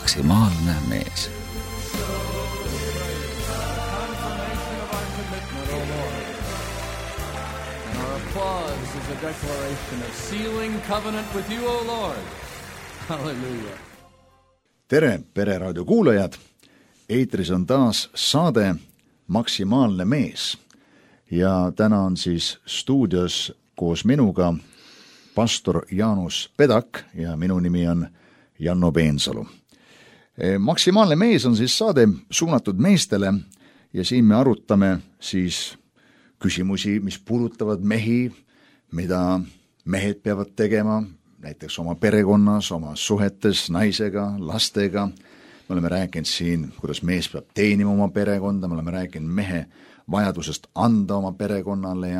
maksimaalne mees. Is a declaration of sealing covenant with you, O Lord. Hallelujah. Tere, Pereraadio kuulajad! Eetris on taas saade Maksimaalne mees. Ja täna on siis stuudios koos minuga pastor Jaanus Pedak ja minu nimi on Janno Peensalu. Maksimaalne mees on siis saade suunatud meestele ja siin me arutame siis küsimusi, mis puudutavad mehi, mida mehed peavad tegema, näiteks oma perekonnas, oma suhetes naisega, lastega. Me oleme rääkinud siin, kuidas mees peab teenima oma perekonda, me oleme rääkinud mehe vajadusest anda oma perekonnale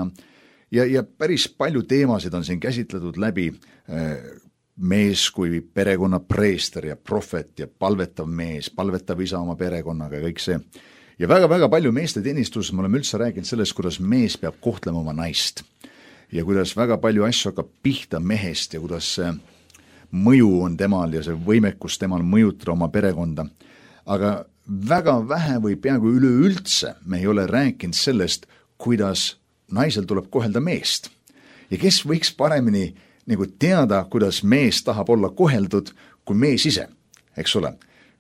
ja päris palju teemasid on siin käsitletud läbi mees kui perekonna preester ja prohvet ja palvetav mees, palvetav isa oma perekonnaga ja kõik see. Ja väga-väga palju meeste teenistuses me oleme üldse rääkinud sellest, kuidas mees peab kohtlema oma naist. Ja kuidas väga palju asju hakkab pihta mehest ja kuidas see mõju on temal ja see võimekus temal mõjutada oma perekonda. Aga väga vähe või peaaegu üleüldse me ei ole rääkinud sellest, kuidas naisel tuleb kohelda meest. Ja kes võiks paremini nagu teada, kuidas mees tahab olla koheldud kui mees ise, eks ole,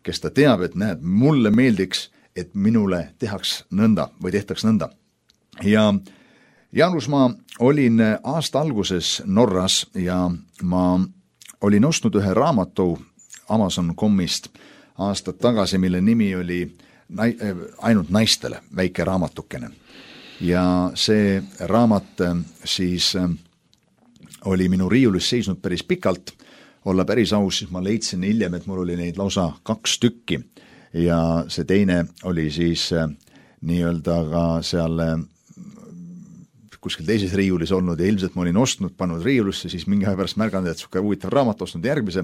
kes ta teab, et näed, mulle meeldiks, et minule tehaks nõnda või tehtaks nõnda. Ja Jaanus, ma olin aasta alguses Norras ja ma olin ostnud ühe raamatu Amazon.comist aastad tagasi, mille nimi oli Ainult naistele, väike raamatukene. Ja see raamat siis oli minu riiulis seisnud päris pikalt. Olla päris aus, siis ma leidsin hiljem, et mul oli neid lausa 2 tükki ja see teine oli siis nii-öelda ka seal kuskil teises riiulis olnud ja ilmselt ma olin ostnud, pannud riiulisse, siis mingi aja pärast märganud, et suke huvitav raamat, ostnud järgmise.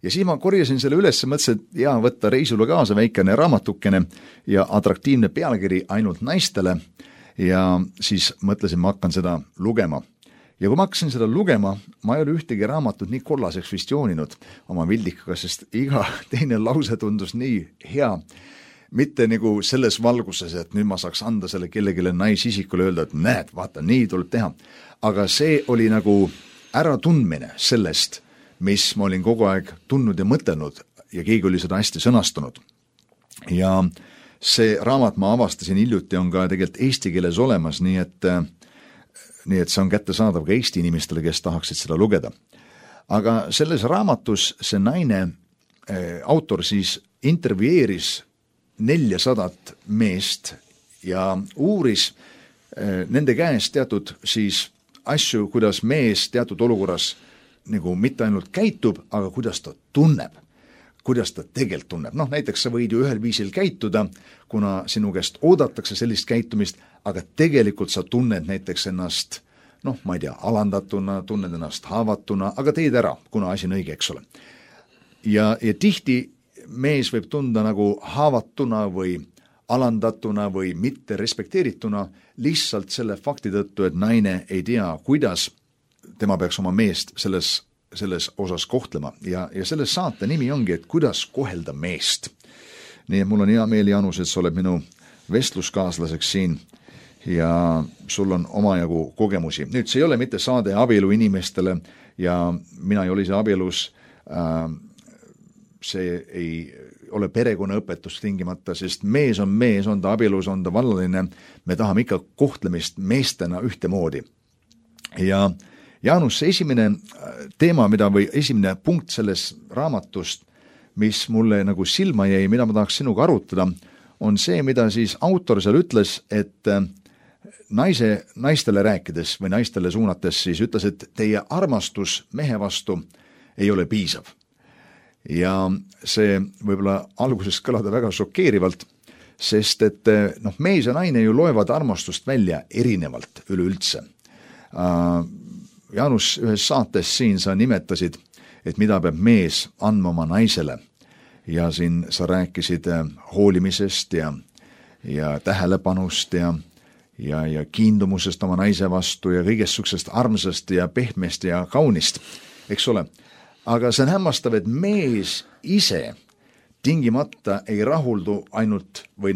Ja siis ma korjasin selle üles ja mõtlesin, et jaa, võtta reisule kaasa väikene raamatukene ja atraktiivne pealkiri Ainult naistele ja siis mõtlesin, ma hakkan seda lugema. Ja kui ma hakkasin seda lugema, ma ei ole ühtegi raamatut nii kollaseks vist jooninud oma vildikaga, sest iga teine lause tundus nii hea. Mitte nagu selles valguses, et nüüd ma saaks anda selle kellegile naisisikule öelda, et näed, vaata, nii tuleb teha. Aga see oli nagu äratundmine sellest, mis ma olin kogu aeg tundnud ja mõtelnud ja keegi oli seda hästi sõnastanud. Ja see raamat ma avastasin hiljuti on ka tegelikult eesti keeles olemas, nii et see on kättesaadav ka eesti inimestele, kes tahaksid seda lugeda. Aga selles raamatus see naine, autor siis intervjueeris 400 meest ja uuris nende käest teatud siis asju, kuidas mees teatud olukorras nagu mitte ainult käitub, aga kuidas ta tunneb, kuidas ta tegelikult tunneb. Noh, näiteks sa võid ju ühel viisil käituda, kuna sinu käest oodatakse sellist käitumist, aga tegelikult sa tunned näiteks ennast, ma ei tea, alandatuna, tunned ennast haavatuna, aga teed ära, kuna asi on õige, eks ole. Ja tihti mees võib tunda nagu haavatuna või alandatuna või mitte respekteerituna lihtsalt selle fakti tõttu, et naine ei tea, kuidas tema peaks oma meest selles osas kohtlema. Ja selle saate nimi ongi, et kuidas kohelda meest. Nii et mul on hea meel, Jaanus, et sa oled minu vestluskaaslaseks siin ja sul on omajagu kogemusi. Nüüd see ei ole mitte saade abielu inimestele ja mina ei ole ise abielus, see ei ole perekonnaõpetus tingimata, sest mees, on ta abielus, on ta vallaline, me tahame ikka kohtlemist meestena ühtemoodi. Ja Jaanus, see esimene teema, või esimene punkt selles raamatust, mis mulle nagu silma jäi, mida ma tahaks sinuga arutada, on see, mida siis autor seal ütles, et naistele rääkides või naistele suunates siis ütles, et teie armastus mehe vastu ei ole piisav. Ja see võib-olla alguses kõlada väga šokeerivalt, sest et mees ja naine ju loevad armastust välja erinevalt üleüldse. Jaanus, ühes saates siin sa nimetasid, et mida peab mees andma oma naisele ja siin sa rääkisid hoolimisest ja tähelepanust ja kiindumusest oma naise vastu ja kõigest suksest armsast ja pehmest ja kaunist, eks ole. Aga see on hämmastav, et mees ise tingimata ei rahuldu ainult või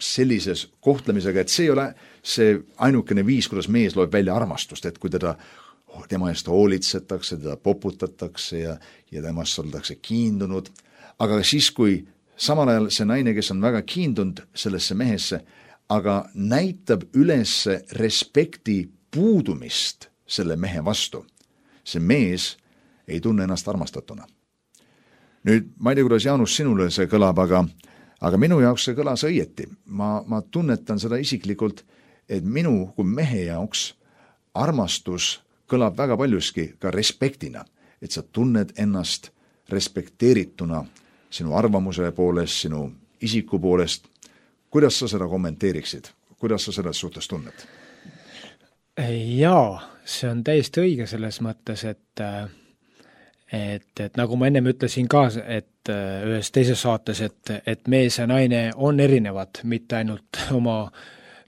sellises kohtlemisega, et see ei ole see ainukene viis, kuidas mees loeb välja armastust, et kui tema eest hoolitsetakse, teda poputatakse ja temast oldakse kiindunud, aga siis, kui samal ajal see naine, kes on väga kiindunud sellesse mehesse, aga näitab üles respekti puudumist selle mehe vastu, see mees ei tunne ennast armastatuna. Nüüd, ma ei tea, kuidas Jaanus sinule see kõlab, aga minu jaoks see kõlas õieti. Ma tunnetan seda isiklikult, et minu kui mehe jaoks armastus kõlab väga paljuski ka respektina, et sa tunned ennast respekteerituna sinu arvamuse poolest, sinu isiku poolest. Kuidas sa seda kommenteeriksid? Kuidas sa seda suhtes tunned? Jaa, see on täiesti õige selles mõttes, et nagu ma ennem ütlesin ka, et ühes teises saates, et mees ja naine on erinevad, mitte ainult oma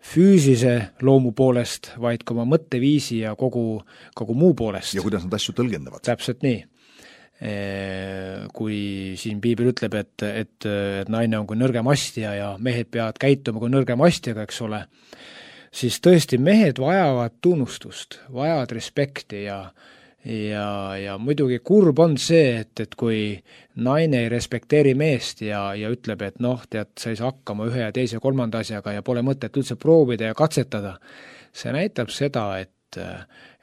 füüsise loomu poolest, vaid ka oma mõtteviisi ja kogu muu poolest. Ja kuidas nad asju tõlgendavad. Täpselt nii. Kui siin piibel ütleb, et naine on kui nõrgem astja ja mehed peavad käituma kui nõrgem astjaga, eks ole, siis tõesti mehed vajavad tunnustust, vajavad respekti ja muidugi kurb on see, et kui naine ei respekteeri meest ja ütleb, et tead, sa ei saa hakkama ühe ja teise kolmanda asjaga ja pole mõtet üldse proovida ja katsetada, see näitab seda,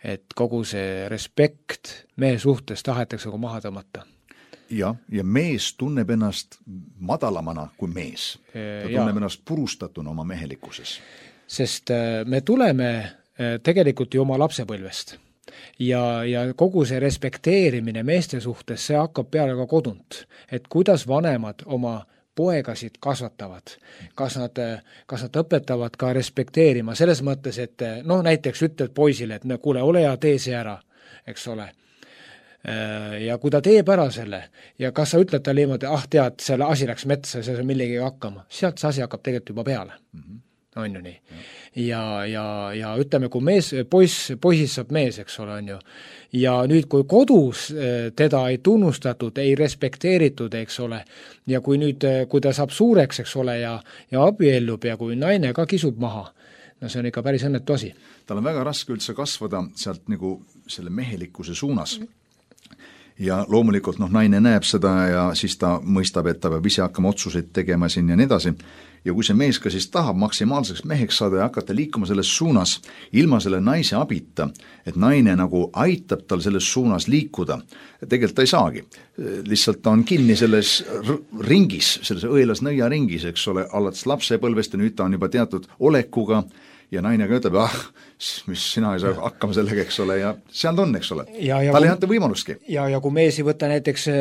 et kogu see respekt mehe suhtes tahetakse maha tõmmata. Ja mees tunneb ennast madalamana kui mees. Ta tunneb ennast purustatuna oma mehelikkuses. Sest me tuleme tegelikult ju oma lapsepõlvest. Ja kogu see respekteerimine meeste suhtes, see hakkab peale ka kodunt. Et kuidas vanemad oma poegasid kasvatavad, kas nad õpetavad ka respekteerima, selles mõttes, et näiteks ütled poisile, et kuule, ole ja tee see ära, eks ole. Ja kui ta teeb ära selle ja kas sa ütled talle niimoodi, tead, selle asi läks metsa, see millegi hakkama, sealt see asi hakkab tegelikult juba peale. On ju nii. Ja ütleme, kui poisist saab mees, eks ole, on ju. Ja nüüd, kui kodus teda ei tunnustatud, ei respekteeritud, eks ole, ja kui ta saab suureks, eks ole, ja abiellub ja kui naine ka kisub maha, see on ikka päris õnnetu asi. Tal on väga raske üldse kasvada sealt nagu selle mehelikkuse suunas. Ja loomulikult naine näeb seda ja siis ta mõistab, et ta peab ise hakkama otsuseid tegema siin ja nii edasi. Ja kui see mees ka siis tahab maksimaalseks meheks saada ja hakata liikuma selles suunas ilma selle naise abita, et naine nagu aitab tal selles suunas liikuda, tegelikult ta ei saagi. Lihtsalt ta on kinni selles ringis, selles õelas nõia ringis, eks ole, alates lapsepõlvest ja nüüd ta on juba teatud olekuga ja naine ka ütleb, mis sina ei saa hakkama sellega, eks ole, ja seal ta on, eks ole. Tal ei anta võimalustki. Ja kui mees ei võta näiteks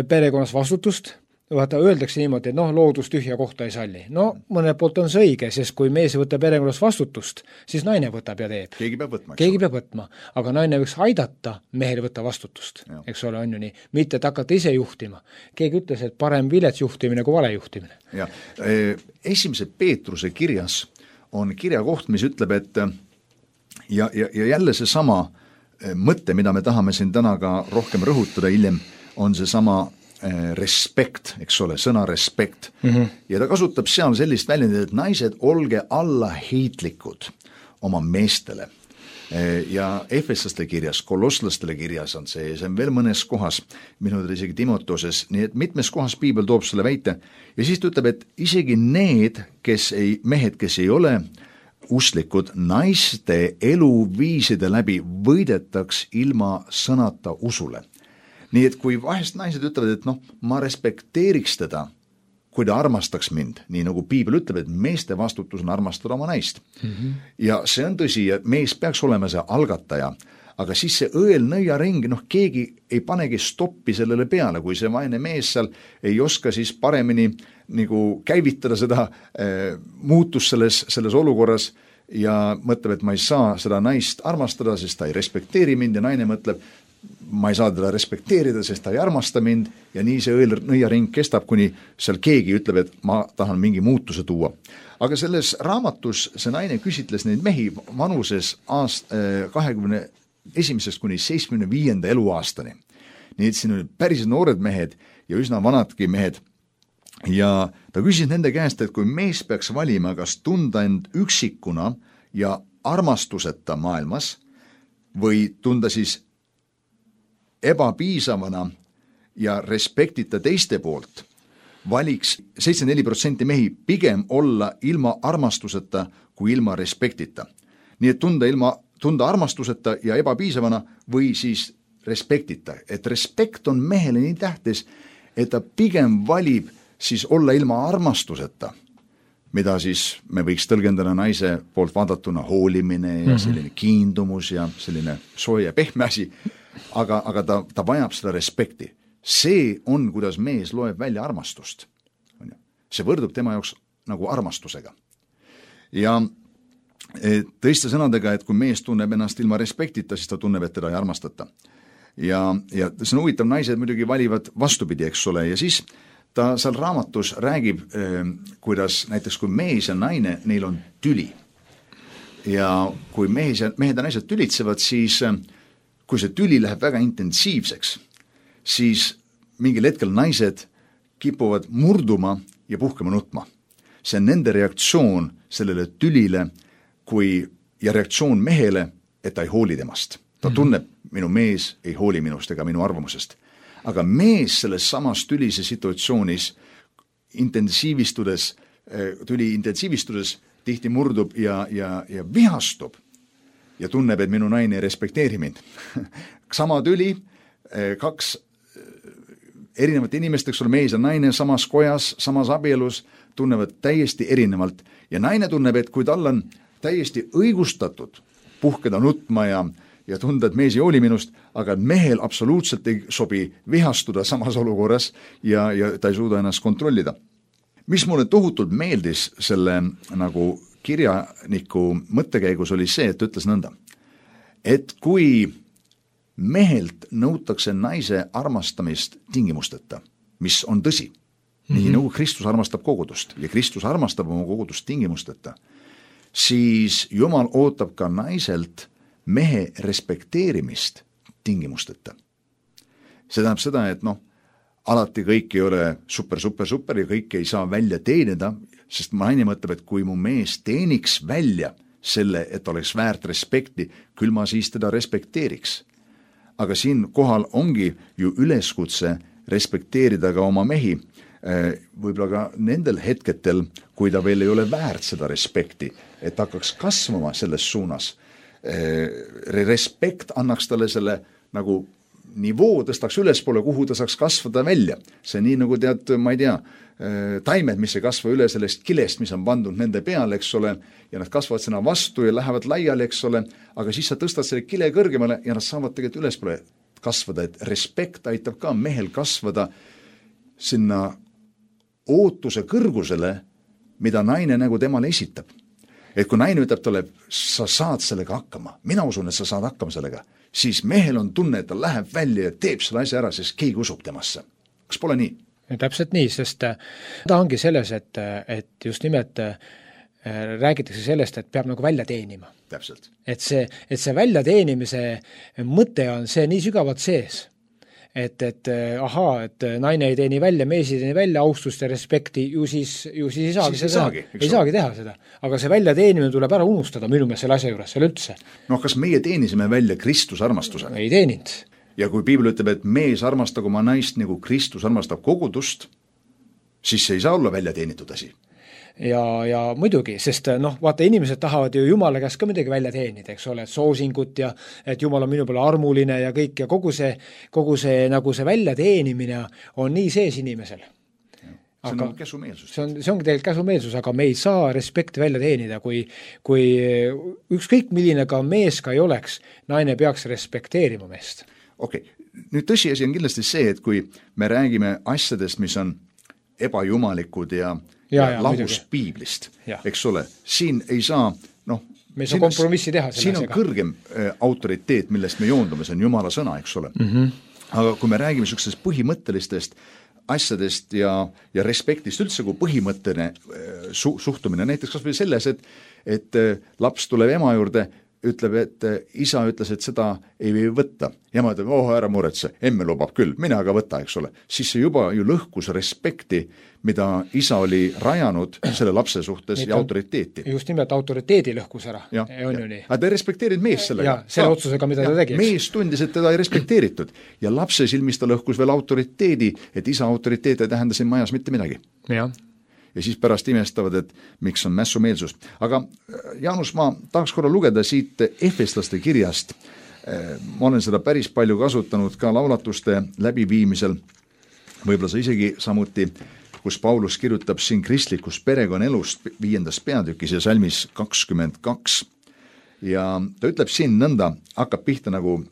perekonnas vastutust, öeldakse niimoodi, et loodus tühja kohta ei salli. Mõne poolt on see õige, sest kui mees ei võta perekonnas vastutust, siis naine võtab ja teeb. Keegi peab võtma. Aga naine võiks aidata mehel võtta vastutust, eks ole, on ju nii. Mitte et hakata ise juhtima. Keegi ütles, et parem vilets juhtimine kui vale juhtimine. Ja, esimese Peetruse kirjas on kirjakoht, mis ütleb, et ja jälle see sama mõte, mida me tahame siin täna ka rohkem rõhutada hiljem, on see sama respekt, eks ole, sõna respekt. Ja ta kasutab seal sellist väljendit, et naised olge allaheitlikud oma meestele. Ja Efeslaste kirjas, Kolosslastele kirjas on see on veel mõnes kohas, minu isegi Timotoses, nii et mitmes kohas piibel toob selle väite ja siis ta ütleb, et isegi need, mehed, kes ei ole usklikud, naiste eluviiside läbi võidetaks ilma sõnata usule. Nii et kui vahest naised ütlevad, et ma respekteeriks teda, kui ta armastaks mind, nii nagu piibel ütleb, et meeste vastutus on armastada oma naist. Ja see on tõsi, et mees peaks olema see algataja, aga siis see õel nõiaring, keegi ei panegi stoppi sellele peale, kui see vaene mees seal ei oska siis paremini nagu käivitada seda muutus selles olukorras ja mõtleb, et ma ei saa seda naist armastada, sest ta ei respekteeri mind ja naine mõtleb, ma ei saa teda respekteerida, sest ta ei armasta mind ja nii see nõiaring kestab, kuni seal keegi ütleb, et ma tahan mingi muutuse tuua. Aga selles raamatus see naine küsitles neid mehi vanuses 21. kuni 75. eluaastani. Nii et siin olid päris noored mehed ja üsna vanadki mehed. ja ta küsis nende käest, et kui mees peaks valima, kas tunda end üksikuna ja armastuseta maailmas või tunda siis ebapiisavana ja respektita teiste poolt, valiks 74% mehi pigem olla ilma armastuseta kui ilma respektita. Nii et tunda armastuseta ja ebapiisavana või siis respektita. Et respekt on mehele nii tähtis, et ta pigem valib siis olla ilma armastuseta, mida siis me võiks tõlgendada naise poolt vaadatuna hoolimine ja selline kiindumus ja selline soe ja pehme asi, aga ta vajab seda respekti. See on, kuidas mees loeb välja armastust. See võrdub tema jaoks nagu armastusega. Ja tõiste sõnadega, et kui mees tunneb ennast ilma respektita, siis ta tunneb, et teda ei armastata. Ja see on huvitav, naised muidugi valivad vastupidi, eks ole, ja siis ta seal raamatus räägib, kuidas näiteks kui mees ja naine, neil on tüli. Ja kui mehed ja naised tülitsevad, siis kui see tüli läheb väga intensiivseks, siis mingil hetkel naised kipuvad murduma ja puhkema nutma. See on nende reaktsioon sellele tülile ja reaktsioon mehele, et ta ei hooli temast. Ta tunneb, minu mees ei hooli minust ega minu arvamusest. Aga mees selles samas tülise situatsioonis tüli intensiivistudes tihti murdub ja vihastub ja tunneb, et minu naine ei respekteeri mind. Sama tüli, kaks erinevat inimest, eks ole, mees ja naine samas kojas, samas abielus, tunnevad täiesti erinevalt. Ja naine tunneb, et kui tal on täiesti õigustatud puhkeda nutma ja tunda, et mees ei hooli minust, aga mehel absoluutselt ei sobi vihastuda samas olukorras ja ta ei suuda ennast kontrollida. Mis mulle tohutult meeldis selle nagu kirjaniku mõttekäigus oli see, et ütles nõnda, et kui mehelt nõutakse naise armastamist tingimusteta, mis on tõsi, nii nagu Kristus armastab kogudust ja Kristus armastab oma kogudust tingimusteta, siis Jumal ootab ka naiselt mehe respekteerimist tingimusteta. See tähendab seda, et alati kõik ei ole super ja kõik ei saa välja teenida, sest naine mõtleb, et kui mu mees teeniks välja selle, et oleks väärt respekti, küll ma siis teda respekteeriks. Aga siin kohal ongi ju üleskutse respekteerida ka oma mehi, võib-olla ka nendel hetketel, kui ta veel ei ole väärt seda respekti, et hakkaks kasvama selles suunas. Respekt annaks talle selle nagu nivoo, tõstaks ülespoole, kuhu ta saaks kasvada välja. See nii nagu tead, ma ei tea, taimed, mis ei kasva üle sellest kilest, mis on pandud nende peale, eks ole, ja nad kasvavad sinna vastu ja lähevad laiali, eks ole, aga siis sa tõstad selle kile kõrgemale ja nad saavad tegelikult ülespoole kasvada, et respekt aitab ka mehel kasvada sinna ootuse kõrgusele, mida naine nagu temale esitab. Et kui naine ütleb talle, sa saad sellega hakkama, mina usun, et sa saad hakkama sellega, siis mehel on tunne, et ta läheb välja ja teeb selle asja ära, sest keegi usub temasse. Kas pole nii? Täpselt nii, sest ta ongi selles, et just nimelt räägitakse sellest, et peab nagu välja teenima. Täpselt. Et see välja teenimise mõte on see nii sügavalt sees, et naine ei teeni välja, mees ei teeni välja austust ja respekti, ju siis ei saagi teha seda. Aga see välja teenimine tuleb ära unustada minu meelest selle asja juures, seal üldse. Kas meie teenisime välja Kristus armastuse? Ei teeninud. Ja kui piibel ütleb, et mees armastab oma naist nagu Kristus armastab kogudust, siis see ei saa olla välja teenitud asi. Ja muidugi, sest vaata, inimesed tahavad ju Jumala käest ka midagi välja teenida, eks ole, et soosingut ja et Jumal on minu peale armuline ja kõik ja kogu see nagu see välja teenimine on nii sees inimesel. See on käsumeelsus. See ongi tegelikult käsumeelsus, aga me ei saa respekti välja teenida, kui ükskõik milline ka mees ka ei oleks, naine peaks respekteerima meest. Okei, nüüd tõsiasi on kindlasti see, et kui me räägime asjadest, mis on ebajumalikud ja lahus piiblist, eks ole, siin ei saa, me ei saa kompromissi teha. Siin on kõrgem autoriteet, millest me joondume, see on Jumala sõna, eks ole. Aga kui me räägime sellisest põhimõttelistest asjadest ja respektist üldse kui põhimõtteline suhtumine, näiteks kas või selles, et laps tuleb ema juurde, ütleb, et isa ütles, et seda ei või võtta. Ja ma ütlen, ära muretse, emme lubab küll, mine aga võta, eks ole. Siis see juba ju lõhkus respekti, mida isa oli rajanud selle lapse suhtes ja autoriteeti. Just nimelt autoriteedi lõhkus ära. Aga ta ei respekteerinud mees sellega. Selle otsusega, mida ta tegi. Mees tundis, et teda ei respekteeritud. Ja lapse silmis ta lõhkus veel autoriteedi, et isa autoriteet ei tähenda siin majas mitte midagi. Ja siis pärast imestavad, et miks on mässumeelsus. Aga Jaanus, ma tahaks korra lugeda siit Efeslaste kirjast. Ma olen seda päris palju kasutanud ka laulatuste läbiviimisel. Võib-olla sa isegi samuti, kus Paulus kirjutab siin kristlikust perekonnelust 5. peatükis ja salmis 22. Ja ta ütleb siin nõnda, hakkab pihta nagu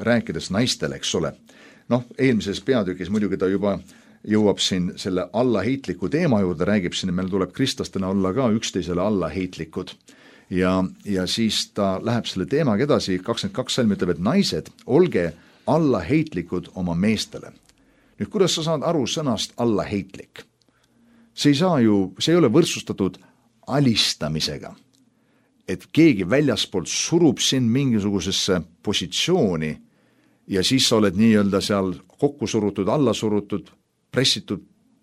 rääkides naistele, eks ole. Eelmises peatükis muidugi ta juba jõuab siin selle allaheitliku teema juurde, räägib siin, meil tuleb kristlastena olla ka üksteisele allaheitlikud. Ja siis ta läheb selle teemaga edasi, 22 salm ütleb, et naised, olge allaheitlikud oma meestele. Nüüd, kuidas sa saad aru sõnast allaheitlik? See ei ole võrdsustatud alistamisega, et keegi väljaspoolt surub sind mingisugusesse positsiooni ja siis sa oled nii-öelda seal kokku surutud, alla surutud, pressitud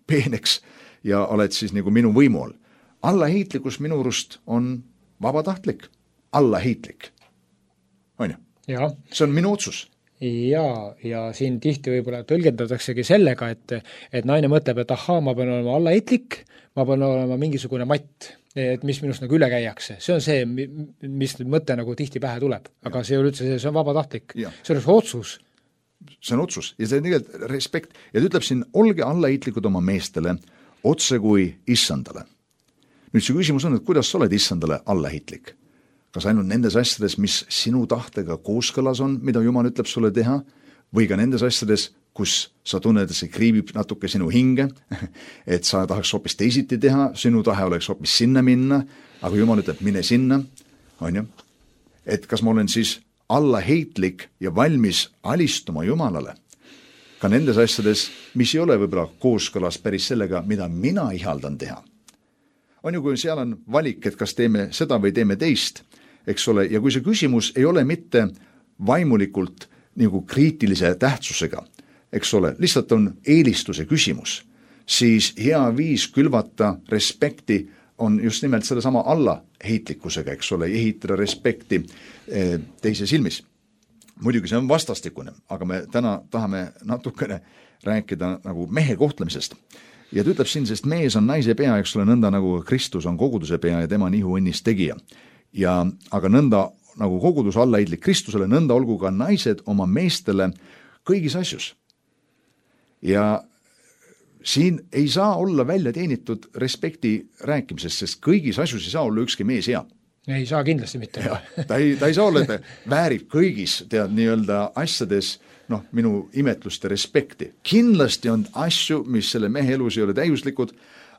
peeneks ja oled siis nagu minu võimu all. Allaheitlikkus minu arust on vabatahtlik, allaheitlik. On ju? Ja. See on minu otsus. Ja siin tihti võib-olla tõlgendataksegi sellega, et naine mõtleb, et ma pean olema allaheitlik, ma pean olema mingisugune matt, et mis minust nagu üle käiakse. See on see, mis mõte nagu tihti pähe tuleb. Aga see on üldse, see on vabatahtlik. See on otsus. See on otsus ja see on tegelikult respekt. Ja ta ütleb siin, olge allaheitlikud oma meestele, otse kui issandale. Nüüd see küsimus on, et kuidas sa oled issandale allaheitlik? Kas ainult nendes asjades, mis sinu tahtega kooskõlas on, mida Jumal ütleb sulle teha, või ka nendes asjades, kus sa tunned, et see kriibib natuke sinu hinge, et sa tahaks hoopis teisiti teha, sinu tahe oleks hoopis sinna minna, aga Jumal ütleb, mine sinna, on ju? Et kas ma olen siis allaheitlik ja valmis alistuma Jumalale, ka nendes asjades, mis ei ole võib-olla kooskõlas päris sellega, mida mina ihaldan teha. On ju, kui seal on valik, et kas teeme seda või teeme teist, eks ole, ja kui see küsimus ei ole mitte vaimulikult nagu kriitilise tähtsusega, eks ole, lihtsalt on eelistuse küsimus, siis hea viis külvata respekti on just nimelt selle sama allaheitlikkusega, eks ole, ehitada respekti teise silmis. Muidugi see on vastastikune, aga me täna tahame natukene rääkida nagu mehe kohtlemisest. Ja ta ütleb siin, sest mees on naise pea, eks ole, nõnda nagu Kristus on koguduse pea ja tema on ihuõnnis tegija. Aga nõnda nagu kogudus allaheitlik Kristusele, nõnda olgu ka naised oma meestele kõigis asjus. Ja siin ei saa olla välja teenitud respekti rääkimisest, sest kõigis asjus ei saa olla ükski mees hea. Ei saa kindlasti mitte. Ta ei saa olla, et väärib kõigis nii-öelda asjades minu imetlust ja respekti. Kindlasti on asju, mis selle mehe elus ei ole täiuslikud,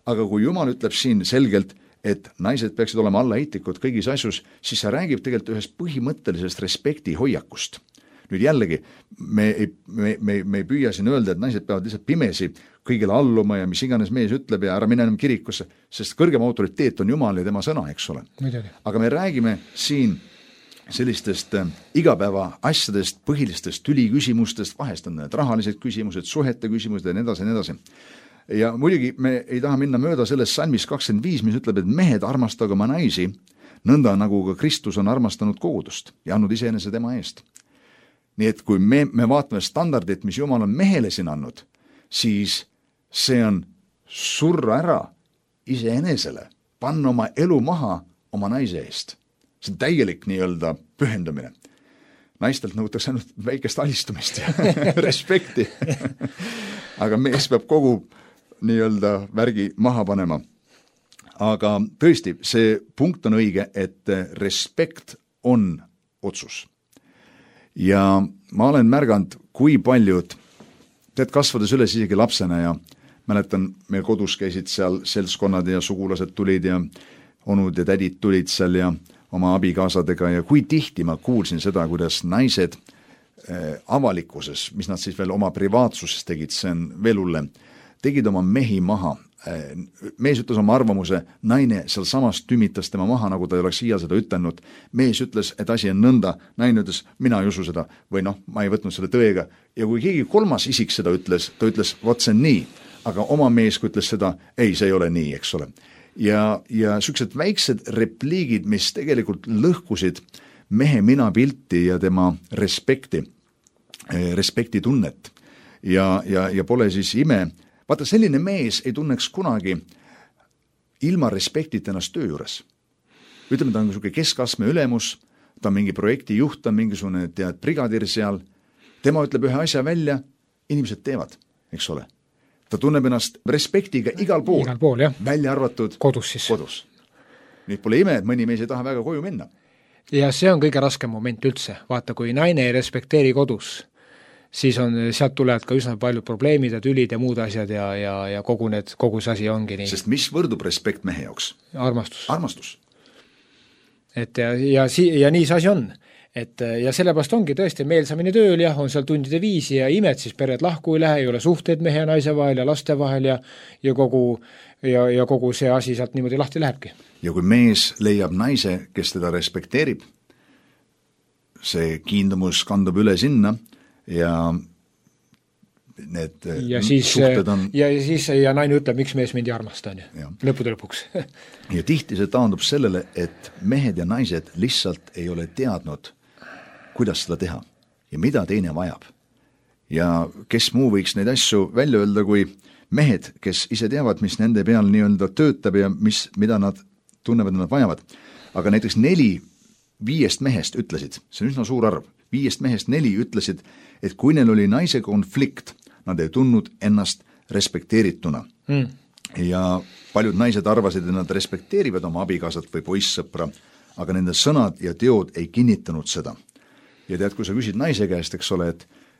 aga kui Jumal ütleb siin selgelt, et naised peaksid olema allaheitlikud kõigis asjus, siis see räägib tegelikult ühest põhimõttelisest respekti hoiakust. Nüüd jällegi, me ei püüa siin öelda, et naised peavad lihtsalt pimesi kõigile alluma ja mis iganes mees ütleb ja ära mine enam kirikusse, sest kõrgem autoriteet on Jumal ja tema sõna, eks ole. Aga me räägime siin sellistest igapäeva asjadest, põhilistest tüliküsimustest, vahest on need rahalised küsimused, suhete küsimused ja nii edasi. Ja muidugi me ei taha minna mööda sellest salmis 25, mis ütleb, et mehed armastage oma naisi, nõnda nagu ka Kristus on armastanud kogudust ja andnud iseenese tema eest. Nii et kui me vaatame standardit, mis Jumal on mehele siin andnud, siis see on surra ära iseenesele, panna oma elu maha oma naise eest. See on täielik nii-öelda pühendumine. Naistelt nõutakse ainult väikest alistumist ja respekti. Aga mees peab kogu nii-öelda värgi maha panema. Aga tõesti, see punkt on õige, et respekt on otsus. Ja ma olen märganud, kui paljud, kasvades üles isegi lapsena ja mäletan, meil kodus käisid seal seltskonnad ja sugulased tulid ja onud ja tädid tulid seal ja oma abikaasadega ja kui tihti ma kuulsin seda, kuidas naised avalikkuses, mis nad siis veel oma privaatsuses tegid, see on veel hullem, tegid oma mehi maha. Mees ütles oma arvamuse, naine seal samas tümitas tema maha, nagu ta ei oleks iial seda ütelnud. Mees ütles, et asi on nõnda, naine ütles, mina ei usu seda või ma ei võtnud selle tõega. Ja kui keegi kolmas isik seda ütles, ta ütles, vot see on nii, aga oma mees, kui ütles seda, ei, see ei ole nii, eks ole. Ja sellised väiksed repliigid, mis tegelikult lõhkusid mehe minapilti ja tema respekti tunnet. Ja pole siis ime. Vaata, selline mees ei tunneks kunagi ilma respektita ennast töö juures. Ütleme, ta on niisugune keskastme ülemus, ta on mingi projekti juht, ta on mingisugune brigadir seal, tema ütleb ühe asja välja, inimesed teevad, eks ole. Ta tunneb ennast respektiga igal pool jah. Välja arvatud kodus siis. Nüüd pole ime, et mõni mees ei taha väga koju minna. Ja see on kõige raskem moment üldse. Vaata, kui naine ei respekteeri kodus, siis sealt tulevad ka üsna palju probleemid ja tülid ja muud asjad ja kogu see asi ongi nii. Sest mis võrdub respekt mehe jaoks? Armastus. Et ja nii see asi on. Ja sellepärast ongi tõesti meelsamini tööl ja on seal tundide viisi ja imed, siis pered lahku ei lähe, ei ole suhteid mehe ja naise vahel ja laste vahel ja kogu see asi sealt niimoodi lahti lähebki. Ja kui mees leiab naise, kes teda respekteerib, see kiindumus kandub üle sinna, ja need suhted on... Ja naine ütleb, miks mees mind ei armasta, lõppude lõpuks. Ja tihti see taandub sellele, et mehed ja naised lihtsalt ei ole teadnud, kuidas seda teha ja mida teine vajab. Ja kes muu võiks neid asju välja öelda, kui mehed, kes ise teavad, mis nende peal nii-öelda töötab ja mida nad tunnevad, nad vajavad. Aga näiteks 4-5 mehest ütlesid, see on üsna suur arv, 5 mehest 4 ütlesid, et kui neil oli naise konflikt, nad ei tundnud ennast respekteerituna. Ja paljud naised arvasid, et nad respekteerivad oma abikaasat või poissõpra, aga nende sõnad ja teod ei kinnitanud seda. Ja tead, kui sa küsid naise käest, eks ole,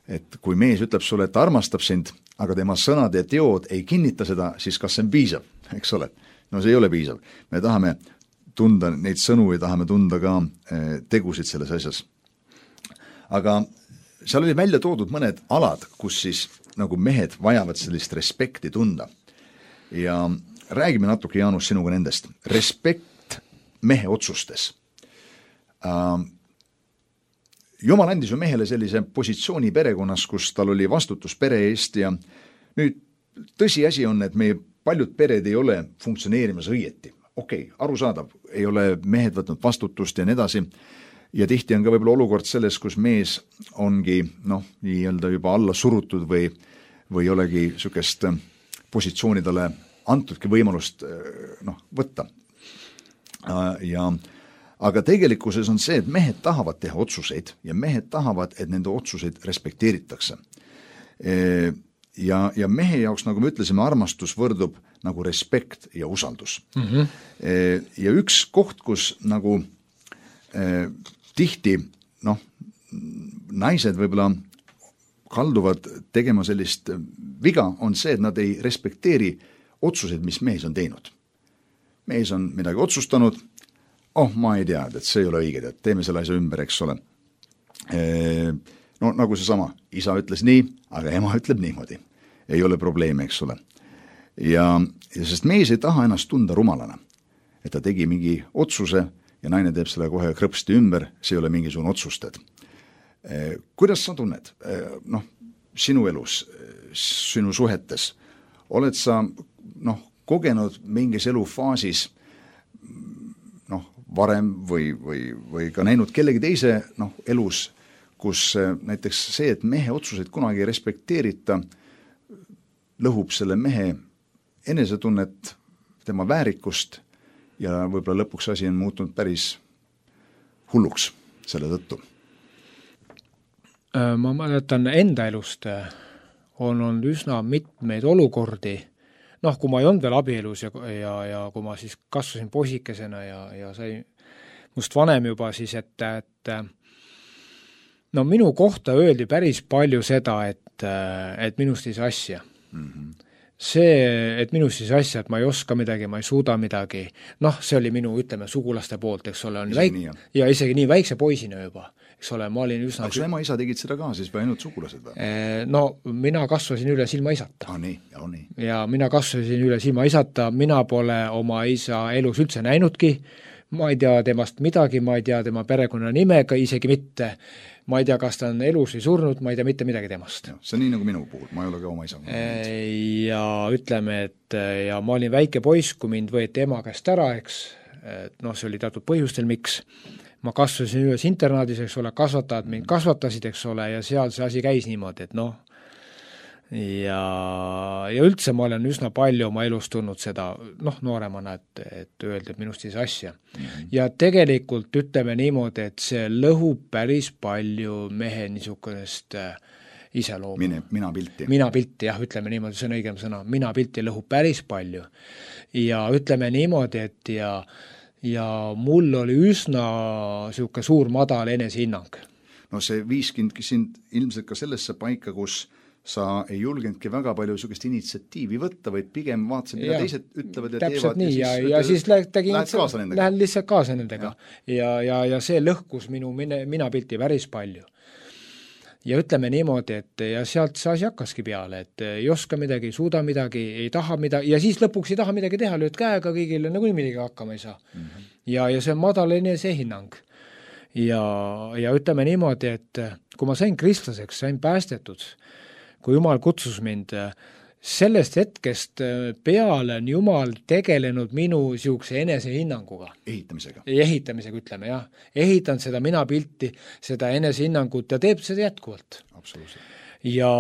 et kui mees ütleb sulle, et ta armastab sind, aga tema sõnad ja teod ei kinnita seda, siis kas see on piisav, eks ole? No see ei ole piisav. Me tahame tunda neid sõnu ja tahame tunda ka tegusid selles asjas. Aga seal oli välja toodud mõned alad, kus siis nagu mehed vajavad sellist respekti tunda. Ja räägime natuke, Jaanus, sinuga nendest. Respekt mehe otsustes. Jumal andis ju mehele sellise positsiooni perekonnas, kus tal oli vastutus pere eest ja nüüd tõsiasi on, et meie paljud pered ei ole funktsioneerimas õieti. Okei, arusaadav, ei ole mehed võtnud vastutust ja nii edasi. Ja tihti on ka võib-olla olukord selles, kus mees ongi nii-öelda juba alla surutud või olegi sükest positsiooni talle antudki võimalust võtta. Aga tegelikkuses on see, et mehed tahavad teha otsuseid ja mehed tahavad, et nende otsuseid respekteeritakse. Ja mehe jaoks, nagu me ütlesime, armastus võrdub nagu respekt ja usaldus. Ja üks koht, kus nagu tihti, naised võib-olla kalduvad tegema sellist viga, on see, et nad ei respekteeri otsuseid, mis mees on teinud. Mees on midagi otsustanud, ma ei tea, et see ei ole õige, et teeme selle asja ümber, eks ole. Nagu see sama, isa ütles nii, aga ema ütleb niimoodi. Ei ole probleeme, eks ole. Ja sest mees ei taha ennast tunda rumalana, et ta tegi mingi otsuse ja naine teeb selle kohe krõpsti ümber, see ei ole mingisugune otsustad. Kuidas sa tunned? Sinu elus, sinu suhetes, oled sa kogenud mingis elufaasis varem või ka näinud kellegi teise elus, kus näiteks see, et mehe otsuseid kunagi ei respekteerita, lõhub selle mehe enesetunnet, tema väärikust ja võib-olla lõpuks asi on muutunud päris hulluks selle tõttu. Ma mäletan enda elust on olnud üsna mitmeid olukordi, kui ma ei olnud veel abielus ja kui ma siis kasvasin poisikesena ja sai must vanem juba siis, et minu kohta öeldi päris palju seda, et minust ei saa asja. see, et minus siis asja, et ma ei oska midagi, ma ei suuda midagi, noh, see oli minu, ütleme, sugulaste poolt, eks ole, ja isegi nii väikse poisina juba, eks ole, ma olin üsna... Aga su ema-isa tegid seda ka siis või ainult sugulased või? No, mina kasvasin üles ilma isata. Nii. Ja mina kasvasin üles ilma isata, mina pole oma isa elus üldse näinudki, ma ei tea temast midagi, ma ei tea tema perekonna nimega, isegi mitte. Ma ei tea, kas ta on elus või surnud, ma ei tea mitte midagi temast. See on nii nagu minu puhul, ma ei ole ka oma isa. Ja ütleme, et ja ma olin väike poiss, kui mind võeti ema käest ära, eks, noh, see oli teatud põhjustel, miks. Ma kasvasin üles internaadis, eks ole, kasvatajad mind kasvatasid, eks ole, ja seal see asi käis niimoodi, et noh, ja üldse ma olen üsna palju oma elus tulnud seda, noh, nooremana, et öelda minust siis asja. Ja tegelikult ütleme niimoodi, et see lõhub päris palju mehe niisugust iseloomu. Mina pilti, jah, ütleme niimoodi, see on õigem sõna. Mina pilti lõhub päris palju. Ja ütleme niimoodi, et ja mul oli üsna siuke suur madal enesehinnang. No see viiskindki sind ilmselt ka sellesse paika, kus sa ei julgenudki väga palju niisugust initsiatiivi võtta, vaid pigem vaatasid, mida teised ütlevad ja teevad. Nii, ja siis lähen lihtsalt kaasa nendega. Ja see lõhkus minu mina pilti päris palju. Ja ütleme niimoodi, et ja sealt see asi hakkaski peale, et ei oska midagi, ei suuda midagi, ei taha midagi, ja siis lõpuks ei taha midagi teha, lööd käega kõigile, nagu midagi hakkama ei saa. Ja see on madal enesehinnang. Ja ütleme niimoodi, et kui ma sain kristlaseks, sain päästetud, kui Jumal kutsus mind, sellest hetkest peale on Jumal tegelenud minu siukse enesehinnanguga. Ehitamisega, ütleme, jah. Ehitan seda mina pilti, seda enesehinnangut ja teeb seda jätkuvalt. Absoluutselt. Ja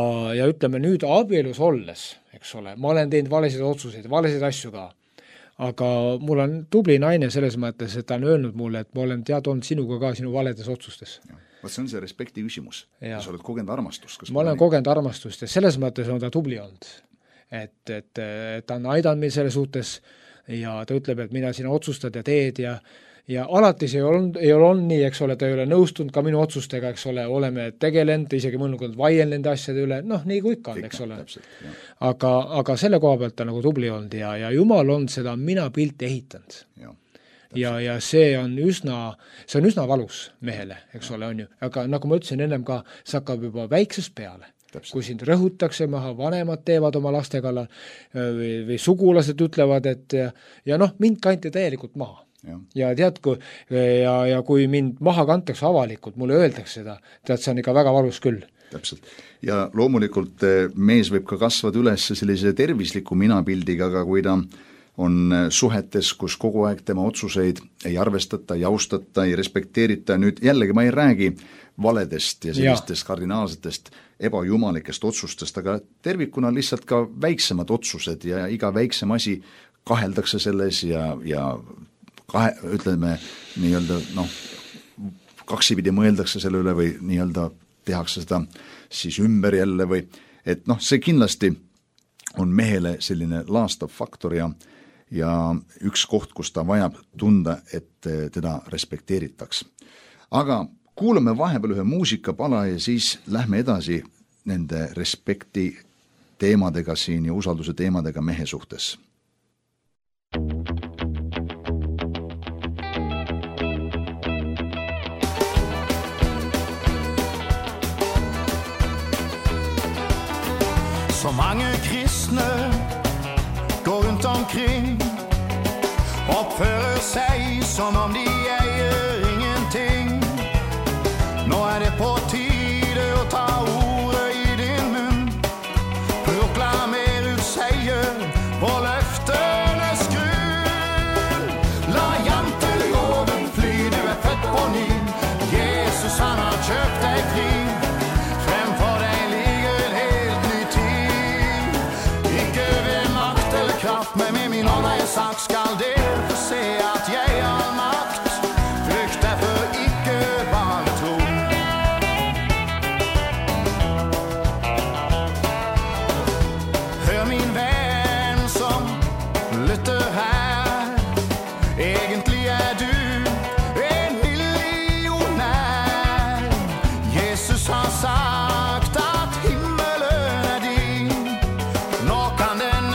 ütleme nüüd abielus olles, eks ole, ma olen teinud valesid otsuseid, valesid asju ka. Aga mul on tubli naine selles mõttes, et ta on öelnud mulle, et ma olen olnud sinuga ka sinu valedes otsustes. See on see respekti küsimus. Ja sa oled kogenud armastust. Ma olen kogenud armastust ja selles mõttes on ta tubli olnud. Et ta on aidanud meil selle suhtes ja ta ütleb, et mida sina otsustad ja teed ja alati see ei ole nii, eks ole, ta ei ole nõustunud ka minu otsustega, eks ole, oleme tegelenud, isegi mõnukond vaien nende asjade üle, noh, nii kui ikka on, eks ole. Aga selle koha pealt ta nagu tubli olnud ja Jumal on seda mina pilti ehitanud. Ja see on üsna valus mehele, eks ole, on ju. Aga nagu ma ütlesin ennem ka, see hakkab juba väiksest peale. Kui sind rõhutakse maha, vanemad teevad oma laste kallal või sugulased ütlevad, et ja noh, mind kanti täielikult maha. Ja tead, kui mind maha kantakse avalikult, mulle öeldakse seda, tead, see on ikka väga valus küll. Täpselt. Ja loomulikult mees võib ka kasvada üles sellise tervisliku minapildiga, aga kui ta on suhetes, kus kogu aeg tema otsuseid ei arvestata, ei austata, ei respekteerita, nüüd jällegi ma ei räägi valedest ja sellistest kardinaalsetest ebajumalikest otsustest, aga tervikuna lihtsalt ka väiksemad otsused ja iga väiksem asi kaheldakse selles ja ütleme nii-öelda kaksipidi mõeldakse selle üle või nii-öelda tehakse seda siis ümber jälle või et see kindlasti on mehele selline laastav faktor ja üks koht, kus ta vajab tunda, et teda respekteeritaks. Aga kuulame vahepeal ühe muusikapala ja siis lähme edasi nende respekti teemadega siin ja usalduse teemadega mehe suhtes. Så mange kristne går rundt omkring oppfører seg som om de eier ingenting. Nå det på tide å ta ordet i din munn. Proklamer ut seier på løftenes grunn. La janteloven fly, du født på ny. Jesus han har kjøpt deg fri. Fremfor deg ligger en helt ny tid. Ikke ved makt eller kraft, men med min ånd jeg sagt skal det se at jeg har makt. Frykt derfor ikke bare tro. Hør min venn som lytter her. Egentlig du en millionær. Jesus har sagt at himmelen din. Nå kan den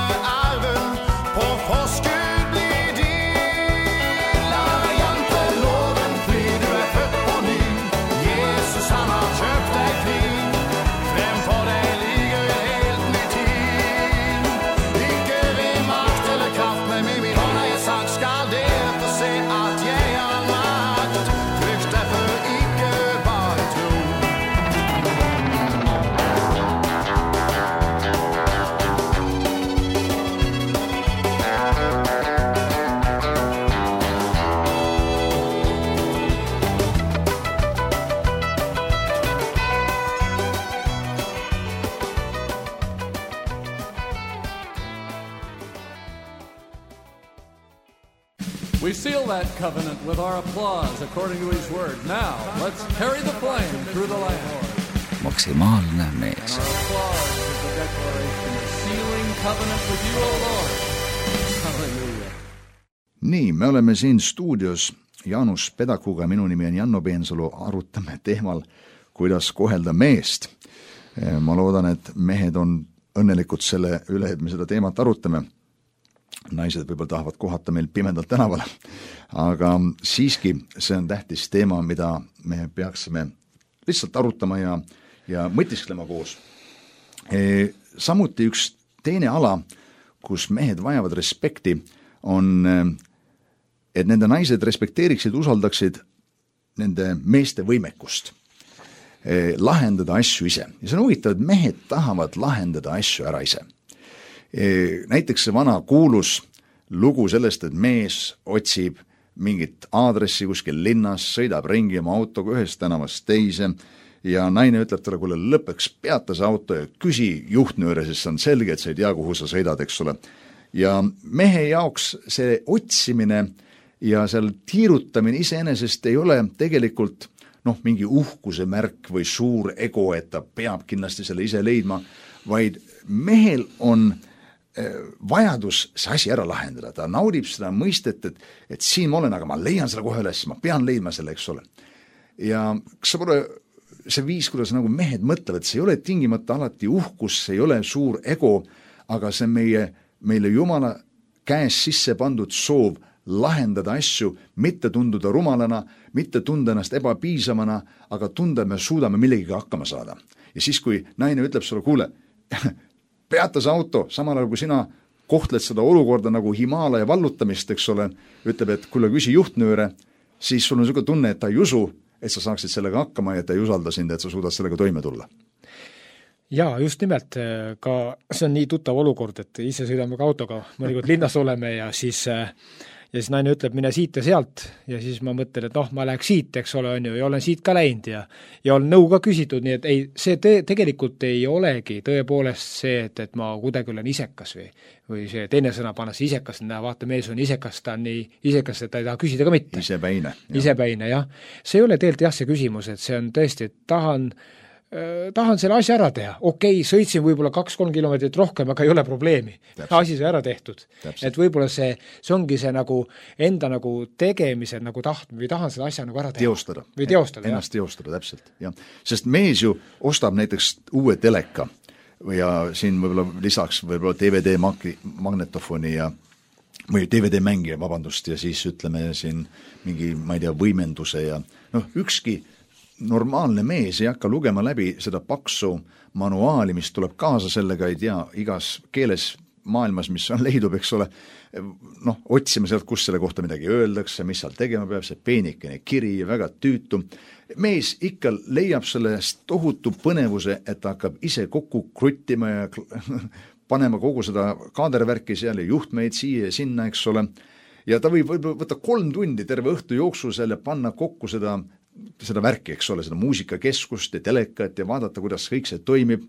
seal that covenant with our applause according to his word. Now, let's carry the flame through the land. Maksimaalne mees. And our applause is the declaration of sealing covenant with you, O Lord. Hallelujah. Nii, me oleme siin stuudios Jaanus Pedakuga, minu nimi on Janno Peensalu, arutame teemal, kuidas kohelda meest. Ma loodan, et mehed on õnnelikud selle üle, et me seda teemat arutame. Naised võib-olla tahavad kohata meil pimedalt tänavale, aga siiski see on tähtis teema, mida me peaksime lihtsalt arutama ja mõtisklema koos. Samuti üks teine ala, kus mehed vajavad respekti, on, et nende naised respekteeriksid, usaldaksid nende meeste võimekust lahendada asju ise. Ja see on huvitav, et mehed tahavad lahendada asju ära ise. Näiteks see vana kuulus lugu sellest, et mees otsib mingit aadressi kuskil linnas, sõidab ringi oma autoga ühest tänavast teise ja naine ütleb talle, kuule lõppeks peata see auto ja küsi juhtnööre, sest see on selge, et sa ei tea, kuhu sa sõidad, eks ole. Ja mehe jaoks see otsimine ja seal tiirutamine iseenesest ei ole tegelikult mingi uhkuse märk või suur ego, et ta peab kindlasti selle ise leidma, vaid mehel on vajadus see asi ära lahendada. Ta naudib seda mõistet, et siin ma olen, aga ma leian selle kohe üles, ma pean leidma selle, eks ole. Ja kas sa pole see viis, kuidas nagu mehed mõtlevad, see ei ole tingimata alati uhkus, see ei ole suur ego, aga see meile Jumala käes sisse pandud soov lahendada asju, mitte tunduda rumalana, mitte tunda ennast ebapiisavana, aga tunda, et me suudame millegiga hakkama saada. Ja siis, kui naine ütleb sulle, kuule, peata see auto, samal ajal kui sina kohtled seda olukorda nagu Himaalaja vallutamist, eks ole, ütleb, et kuule, küsi juhtnööre, siis sul on selline tunne, et ta ei usu, et sa saaksid sellega hakkama ja ta ei usalda sind, et sa suudad sellega toime tulla. Jaa, just nimelt, ka see on nii tuttav olukord, et ise sõidame ka autoga, mõnikord linnas oleme ja siis naine ütleb, mine siit ja sealt ja siis ma mõtlen, et ma läheks siit, eks ole, on ju, ja olen siit ka läinud ja olen nõu ka küsitud, nii et ei, see tegelikult ei olegi tõepoolest see, et ma kuidagi olen isekas või see teine sõna pannes isekas, vaata, mees on isekas, ta on nii isekas, et ta ei taha küsida ka mitte. Isepäine, jah. See ei ole tegelikult see küsimus, et see on tõesti, et tahan selle asja ära teha. Okei, sõitsin võib-olla 2-3 kilomeetrit rohkem, aga ei ole probleemi. Asi sai ära tehtud. Täpselt. Et võib-olla see ongi see nagu enda nagu tegemise nagu või tahan selle asja nagu ära teha. Teostada. Või teostada, ennast teostada, täpselt. Ja. Sest mees ju ostab näiteks uue teleka ja siin võib-olla lisaks võib-olla DVD magnetofoni või DVD mängija, vabandust, ja siis ütleme siin mingi, ma ei tea, võimenduse ja ükski normaalne mees ei hakka lugema läbi seda paksu manuaali, mis tuleb kaasa sellega, ei tea, igas keeles maailmas, mis on leidub, eks ole, otsime sealt, kus selle kohta midagi öeldakse, mis seal tegema peab, see peenikene kiri ja väga tüütu. Mees ikka leiab sellest tohutu põnevuse, et ta hakkab ise kokku kruttima ja panema kogu seda kaadervärki seal ja juhtmeid siia ja sinna, eks ole. Ja ta võib võtta 3 tundi terve õhtu jooksul seal ja panna kokku seda värki, eks ole, seda muusikakeskust ja telekat ja vaadata, kuidas kõik see toimib.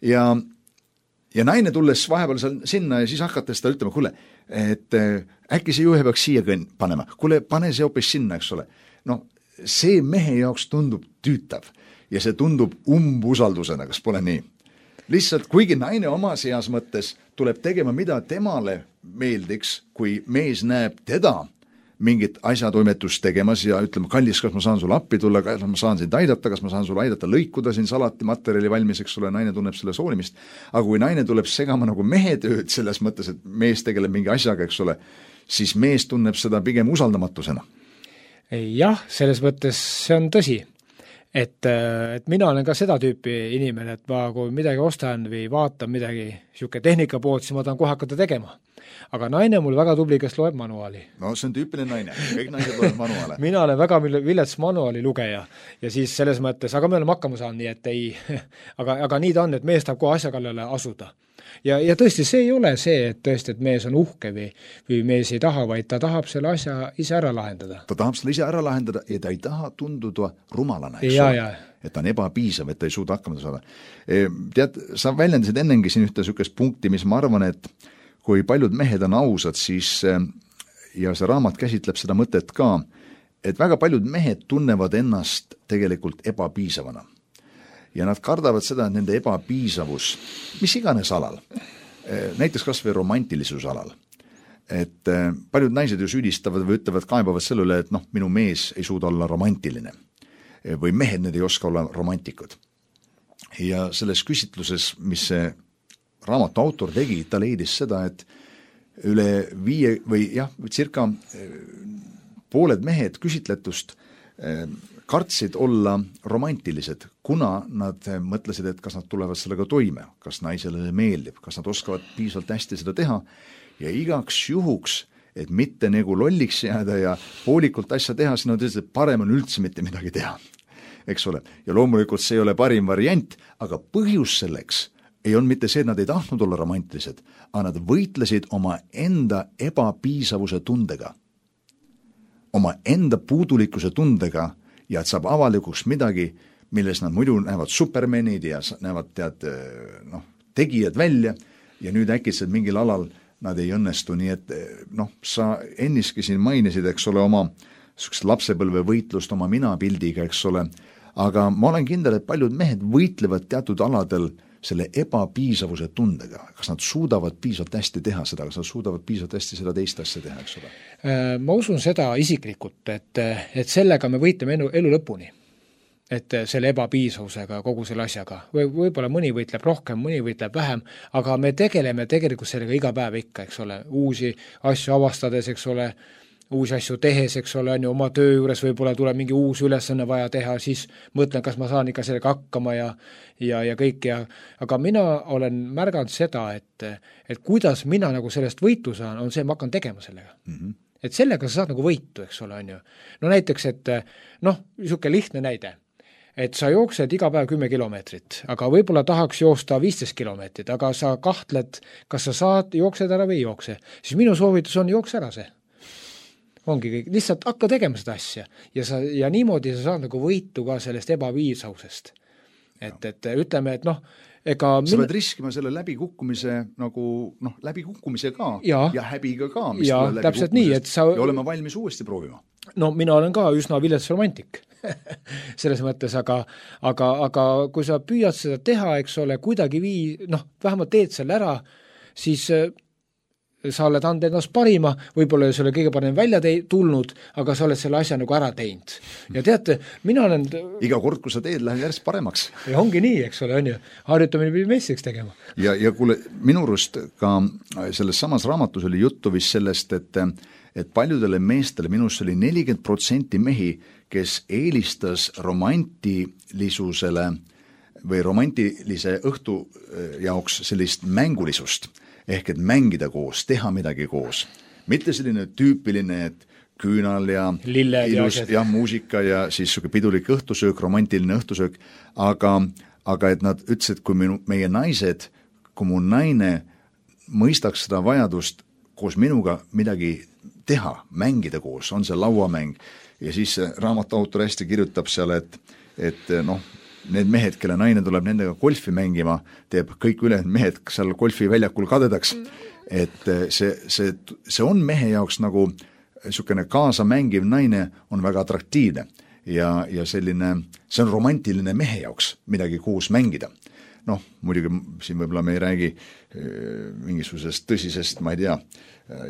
Ja naine tulles vahepeal sinna ja siis hakates ta ütlema, kuule, et äkki see juhe peaks siia panema. Kuule, pane see hoopis sinna, eks ole. See mehe jaoks tundub tüütav ja see tundub umbusaldusena, kas pole nii? Lihtsalt, kuigi naine oma seas mõttes tuleb tegema, mida temale meeldiks, kui mees näeb teda mingit asjatoimetust tegemas ja ütleme, kallis, kas ma saan sulle appi tulla, kas ma saan sind aidata, kas ma saan sulle aidata lõikuda siin salati materjali valmis, eks ole, naine tunneb selle soolimist. Aga kui naine tuleb segama nagu mehe tööd selles mõttes, et mees tegeleb mingi asjaga, eks ole, siis mees tunneb seda pigem usaldamatusena. Jah, selles mõttes see on tõsi. Et mina olen ka seda tüüpi inimene, et ma kui midagi ostan või vaatan midagi siuke tehnika poolt, siis ma tahan kohe hakata tegema. Aga naine mul väga tubli, kes loeb manuaali. No see on tüüpiline naine, kõik naised loeb manuaale. Mina olen väga vilets manuaali lugeja ja siis selles mõttes, aga me oleme hakkama saanud, nii et ei, aga nii ta on, et mees tahab kohe asja kallale asuda. Ja tõesti, see ei ole see, et tõesti, et mees on uhke või mees ei taha, vaid ta tahab selle asja ise ära lahendada. Ta tahab selle ise ära lahendada ja ta ei taha tunduda rumalana, eks ole. Et ta on ebapiisav, et ta ei suuda hakkama saada. Tead, sa väljendasid ennengi siin ühte sükest punkti, mis ma arvan, et kui paljud mehed on ausad, siis ja see raamat käsitleb seda mõtet ka, et väga paljud mehed tunnevad ennast tegelikult ebapiisavana. Ja nad kardavad seda, et nende ebapiisavus, mis iganes alal, näiteks kas või romantilisuse alal, et paljud naised ju süüdistavad või ütlevad, kaebavad selle üle, et minu mees ei suuda olla romantiline või mehed need ei oska olla romantikud. Ja selles küsitluses, mis see raamatu autor tegi, ta leidis seda, et üle 5 või circa pooled mehed küsitletust kartsid olla romantilised, kuna nad mõtlesid, et kas nad tulevad sellega toime, kas naisele meeldib, kas nad oskavad piisavalt hästi seda teha ja igaks juhuks, et mitte nagu lolliks jääda ja poolikult asja teha, siis nad ütlesid, et parem on üldse mitte midagi teha, eks ole. Ja loomulikult see ei ole parim variant, aga põhjus selleks ei olnud mitte see, et nad ei tahtnud olla romantilised, aga nad võitlesid oma enda ebapiisavuse tundega, oma enda puudulikkuse tundega ja et saab avalikuks midagi, milles nad muidu näevad supermenid ja näevad tegijad välja ja nüüd äkitselt mingil alal nad ei õnnestu, nii et sa enniski siin mainisid, eks ole, oma lapsepõlve võitlust oma minapildiga, eks ole, aga ma olen kindel, et paljud mehed võitlevad teatud aladel selle ebapiisavuse tundega, kas nad suudavad piisavalt hästi teha seda, kas nad suudavad piisavalt hästi seda teist asja teha, eks ole? Ma usun seda isiklikult, et sellega me võitleme elu lõpuni. Et selle ebapiisavusega, kogu selle asjaga. Võib-olla mõni võitleb rohkem, mõni võitleb vähem, aga me tegeleme tegelikult sellega iga päev ikka, eks ole, uusi asju avastades, eks ole, uusi asju tehes, eks ole, on ju, oma töö juures võib-olla tuleb mingi uus ülesanne vaja teha, siis mõtlen, kas ma saan ikka sellega hakkama ja kõik aga mina olen märganud seda, et kuidas mina nagu sellest võitu saan, on see, ma hakkan tegema sellega. Et sellega sa saad nagu võitu, eks ole, on ju. No näiteks, et niisugune lihtne näide, et sa jooksed iga päev 10 kilomeetrit, aga võib-olla tahaks joosta 15 kilomeetrit, aga sa kahtled, kas sa saad, jooksed ära või ei jookse. Siis minu soovitus on jookse ära see. Ongi kõik, lihtsalt hakka tegema seda asja ja niimoodi sa saad nagu võitu ka sellest ebapiisavusest. Et ütleme, et ega sa pead riskima selle läbikukkumise läbikukkumise ka ja häbiga ka, mis ja täpselt nii, et sa ja olema valmis uuesti proovima. No mina olen ka üsna vilets romantik selles mõttes, aga kui sa püüad seda teha, eks ole, kuidagi vähemalt teed selle ära, siis sa oled anda ennast parima, võib-olla see ole kõige parem välja tulnud, aga sa oled selle asja nagu ära teinud. Ja teate, mina olen iga kord, kui sa teed, lähed järjest paremaks. Ja ongi nii, eks ole, on ju. Harjutamine pidi meistriks tegema. Ja kuule, minu arust ka selles samas raamatus oli juttu vist sellest, et paljudele meestele, minust oli 40% mehi, kes eelistas romantilisusele või romantilise õhtu jaoks sellist mängulisust, ehk et mängida koos, teha midagi koos. Mitte selline tüüpiline, et küünal ja lilled ilus ja muusika ja siis pidulik õhtusöök, romantiline õhtusöök, aga et nad ütlesid, kui meie naised, kui mu naine mõistaks seda vajadust koos minuga midagi teha, mängida koos, on see lauamäng, ja siis raamatu autor hästi kirjutab seal, et need mehed, kelle naine tuleb nendega golfi mängima, teeb kõik ülejäänud mehed seal golfiväljakul kadedaks. Et see on mehe jaoks nagu niisugune kaasamängiv naine on väga atraktiivne ja selline, see on romantiline mehe jaoks midagi koos mängida. Muidugi siin võib-olla me ei räägi mingisugusest tõsisest, ma ei tea,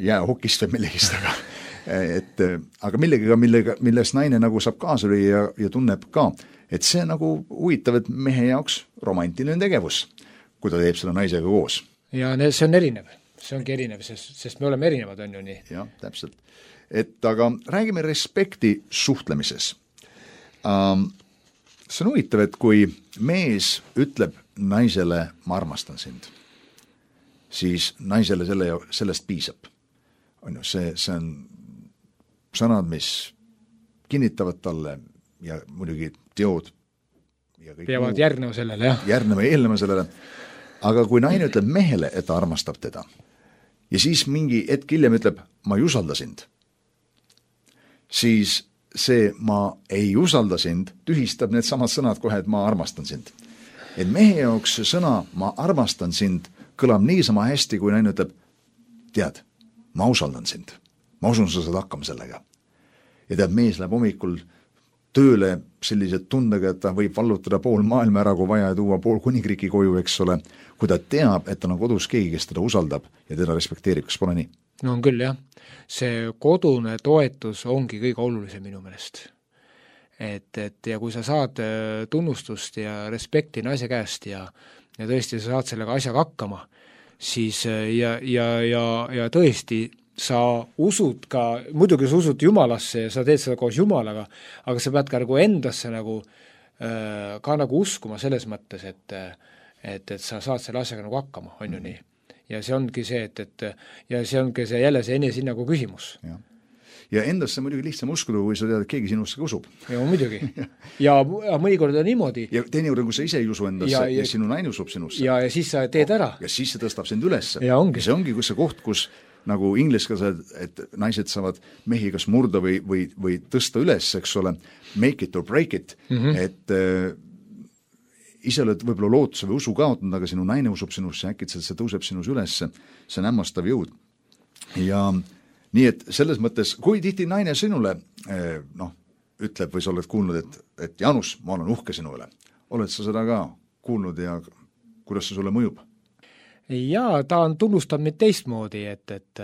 jäähokist või millegist, aga milles naine nagu saab kaasa lüüa ja tunneb ka, et see nagu huvitav, et mehe jaoks romantiline tegevus, kui ta teeb selle naisega koos. Ja see on erinev, see ongi erinev, sest me oleme erinevad, on ju nii. Jah, täpselt. Aga räägime respekti suhtlemises. See on huvitav, et kui mees ütleb naisele, ma armastan sind, siis naisele sellest piisab. On ju, see on sõnad, mis kinnitavad talle ja muidugi teod ja kõik peavad järgnema sellele, jah. Eelnema sellele. Aga kui naine ütleb mehele, et ta armastab teda ja siis mingi hetk hiljem ütleb, ma ei usalda sind, siis see ma ei usalda sind tühistab need samad sõnad kohe, et ma armastan sind. Et mehe jaoks sõna ma armastan sind kõlab niisama hästi, kui naine ütleb, tead, ma usaldan sind. ma usun, sa saad hakkama sellega. Ja tead, mees läheb hommikul tööle sellise tundega, et ta võib vallutada pool maailma ära, kui vaja, ja tuua pool kuningriiki koju, eks ole, kui ta teab, et tal on kodus keegi, kes teda usaldab ja teda respekteerib, kas pole nii? No on küll, jah. See kodune toetus ongi kõige olulisem minu meelest. Et ja kui sa saad tunnustust ja respekti naise käest ja tõesti sa saad sellega asjaga hakkama, siis ja tõesti sa usud ka, muidugi sa usud Jumalasse ja sa teed seda koos Jumalaga, aga sa pead ka nagu endasse ka nagu uskuma selles mõttes, et sa saad selle asjaga nagu hakkama, on ju nii. Ja see ongi see, ja see ongi see jälle see enesehinnagu küsimus. Ja endasse muidugi lihtsam uskuda, kui sa tead, et keegi sinusse usub. Ja muidugi. ja mõnikord on niimoodi. Ja teinekord, kui sa ise ei usu endasse ja sinu naine usub sinusse. Ja siis sa teed ära. Ja siis see tõstab sind ülesse. Ja ongi. See ongi see koht, kus nagu ingliskeelsed, et naised saavad mehi kas murda või tõsta üles, eks ole, make it or break it, et ise oled võib-olla lootuse või usu kaotanud, aga sinu naine usub sinusse, äkitselt see tõuseb sinus ülesse, see on hämmastav jõud. Ja nii, et selles mõttes, kui tihti naine sinule ütleb või sa oled kuulnud, et Janus, ma olen uhke sinu üle. Oled sa seda ka kuulnud ja kuidas see sulle mõjub? Jaa, ta on tunnustanud mind teistmoodi, et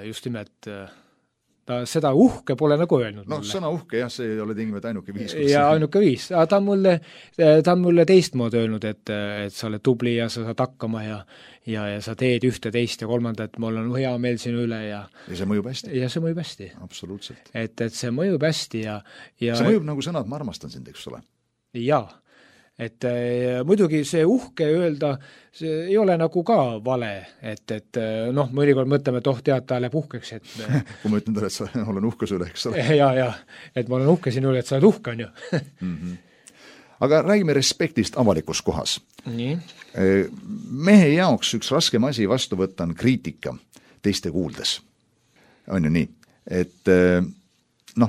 just nimelt ta seda uhke pole nagu öelnud mulle. Sõna uhke, jah, see ei ole tingimata ainuke viis. Ja ainuke viis. Ta on mulle teistmoodi öelnud, et sa oled tubli ja sa saad hakkama ja sa teed ühte, teist ja kolmandat, mul on hea meel sinu üle. Ja see mõjub hästi. Ja see mõjub hästi. Absoluutselt. Et see mõjub hästi ja see mõjub nagu sõnad, ma armastan sind, eks ole. Jaa. Et muidugi see uhke öelda, see ei ole nagu ka vale, et mõnikord mõtleme, et tead, ta läheb uhkeks, et kui ma ütlen talle, et sa olen uhke sulle, eks ole. Ja, et ma olen uhke sinu üle, et sa oled uhke, on ju. Aga räägime respektist avalikus kohas. Nii. Mehe jaoks üks raskem asi vastu võtta on kriitika teiste kuuldes. On ju nii, et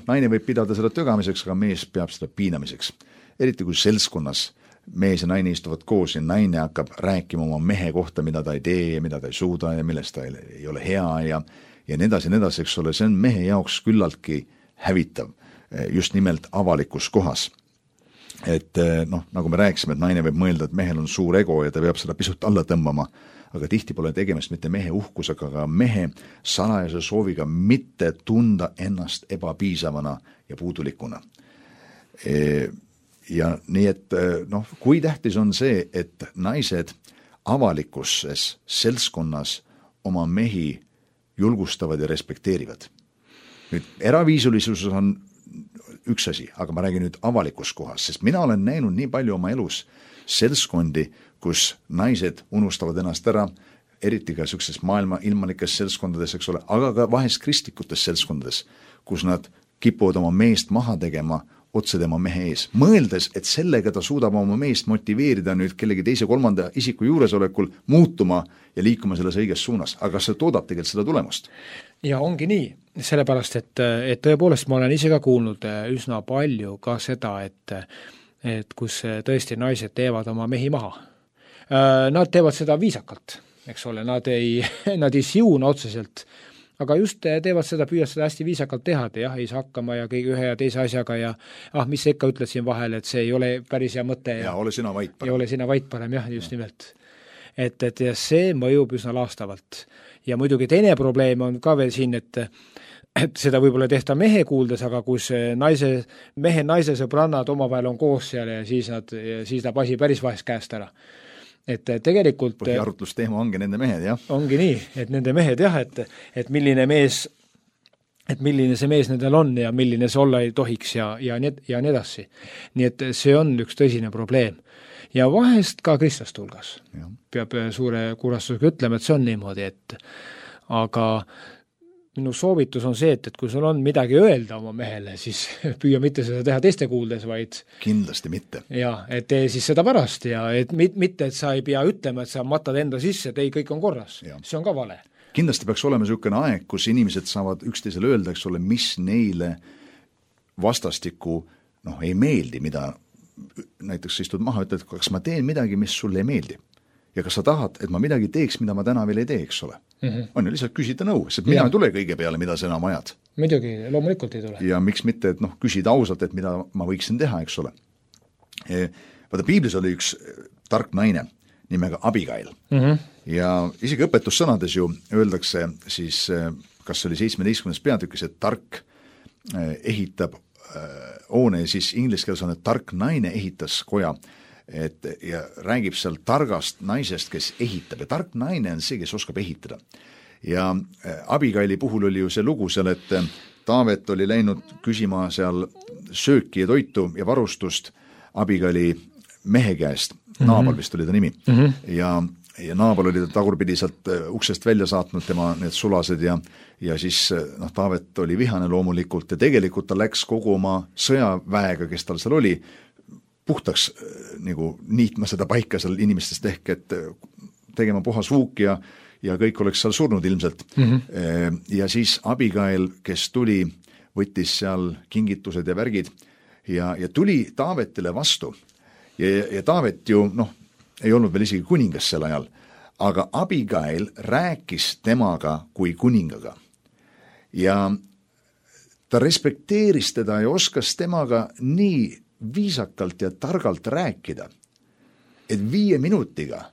naine võib pidada seda tögamiseks, aga mees peab seda piinamiseks. Eriti kui seltskonnas mees ja naine istuvad koos ja naine hakkab rääkima oma mehe kohta, mida ta ei tee ja mida ta ei suuda ja millest ta ei ole hea ja nii edasi, eks ole, see on mehe jaoks küllaltki hävitav just nimelt avalikus kohas. Et nagu me rääkisime, et naine võib mõelda, et mehel on suur ego ja ta peab seda pisut alla tõmbama, aga tihti pole tegemist mitte mehe uhkusega, aga mehe salajase sooviga mitte tunda ennast ebapiisavana ja puudulikuna. Ja nii, et kui tähtis on see, et naised avalikkuses seltskonnas oma mehi julgustavad ja respekteerivad. Nüüd eraviisulisus on üks asi, aga ma räägin nüüd avalikus kohas, sest mina olen näinud nii palju oma elus seltskondi, kus naised unustavad ennast ära, eriti ka sellises maailma ilmalikes seltskondades, eks ole, aga ka vahest kristlikutes seltskondades, kus nad kipuvad oma meest maha tegema otse tema mehe ees, mõeldes, et sellega ta suudab oma meest motiveerida nüüd kellegi teise kolmanda isiku juuresolekul muutuma ja liikuma selles õiges suunas, aga see toodab tegelikult seda tulemust. Ja ongi nii, sellepärast, et tõepoolest ma olen ise ka kuulnud üsna palju ka seda, et kus tõesti naised teevad oma mehi maha. Nad teevad seda viisakalt, eks ole, nad ei siuna otseselt, aga just teevad seda, püüavad seda hästi viisakalt teha, et jah, ei saa hakkama ja kõige ühe ja teise asjaga ja mis sa ikka ütled siin vahel, et see ei ole päris hea mõte. Ja ole sina vait parem. Ja ole sina vait parem, jah, just nimelt. Et see mõjub üsna laastavalt. Ja muidugi teine probleem on ka veel siin, et seda võib-olla tehta mehe kuuldes, aga kus mehe naise sõbrannad omavahel on koos seal ja siis ta pasi päris vahest käest ära. Et tegelikult põhiarutlusteema ongi nende mehed, jah. Ongi nii, et nende mehed, jah, et milline see mees nendel on ja milline see olla ei tohiks ja nii edasi. Nii et see on üks tõsine probleem. Ja vahest ka kristlaste hulgas. Peab suure kurastusega ütlema, et see on niimoodi, aga minu soovitus on see, et kui sul on midagi öelda oma mehele, siis püüa mitte seda teha teiste kuuldes, vaid kindlasti mitte. Ja, et tee siis seda pärast ja et mitte, et sa ei pea ütlema, et sa matad enda sisse, et ei, kõik on korras. See on ka vale. Kindlasti peaks olema niisugune aeg, kus inimesed saavad üksteisele öelda, eks ole, mis neile vastastikku ei meeldi, mida näiteks istud maha, ütled, kas ma teen midagi, mis sulle ei meeldi. ja kas sa tahad, et ma midagi teeks, mida ma täna veel ei tee, eks ole. On ju, lihtsalt küsida nõu, sest mina ei tule kõige peale, mida sa enam ajad. Muidugi, loomulikult ei tule. Ja miks mitte, et küsida ausalt, et mida ma võiksin teha, eks ole. Vaata, piiblis oli üks tark naine nimega Abigail. Ja isegi õpetussõnades ju öeldakse siis, kas see oli 17. peatükis, et tark ehitab hoone, siis inglise keeles on, et tark naine ehitas koja, ja räägib seal targast naisest, kes ehitab, ja tark naine on see, kes oskab ehitada. Ja Abigaili puhul oli ju see lugu seal, et Taavet oli läinud küsima seal sööki ja toitu ja varustust Abigaili mehe käest, Naabal vist oli ta nimi, ja Naabal oli ta tagurpidi sealt uksest välja saatnud tema need sulased ja siis Taavet oli vihane loomulikult ja tegelikult ta läks kogu oma sõjaväega, kes tal seal oli, puhtaks nagu niitma seda paika seal inimestest ehk, et tegema puhas vuuk ja kõik oleks seal surnud ilmselt. Ja siis Abigail, kes tuli, võttis seal kingitused ja värgid ja tuli Taavetile vastu. Ja Taavet ju, ei olnud veel isegi kuningas sel ajal, aga Abigail rääkis temaga kui kuningaga. Ja ta respekteeris teda ja oskas temaga nii viisakalt ja targalt rääkida, et 5 minutiga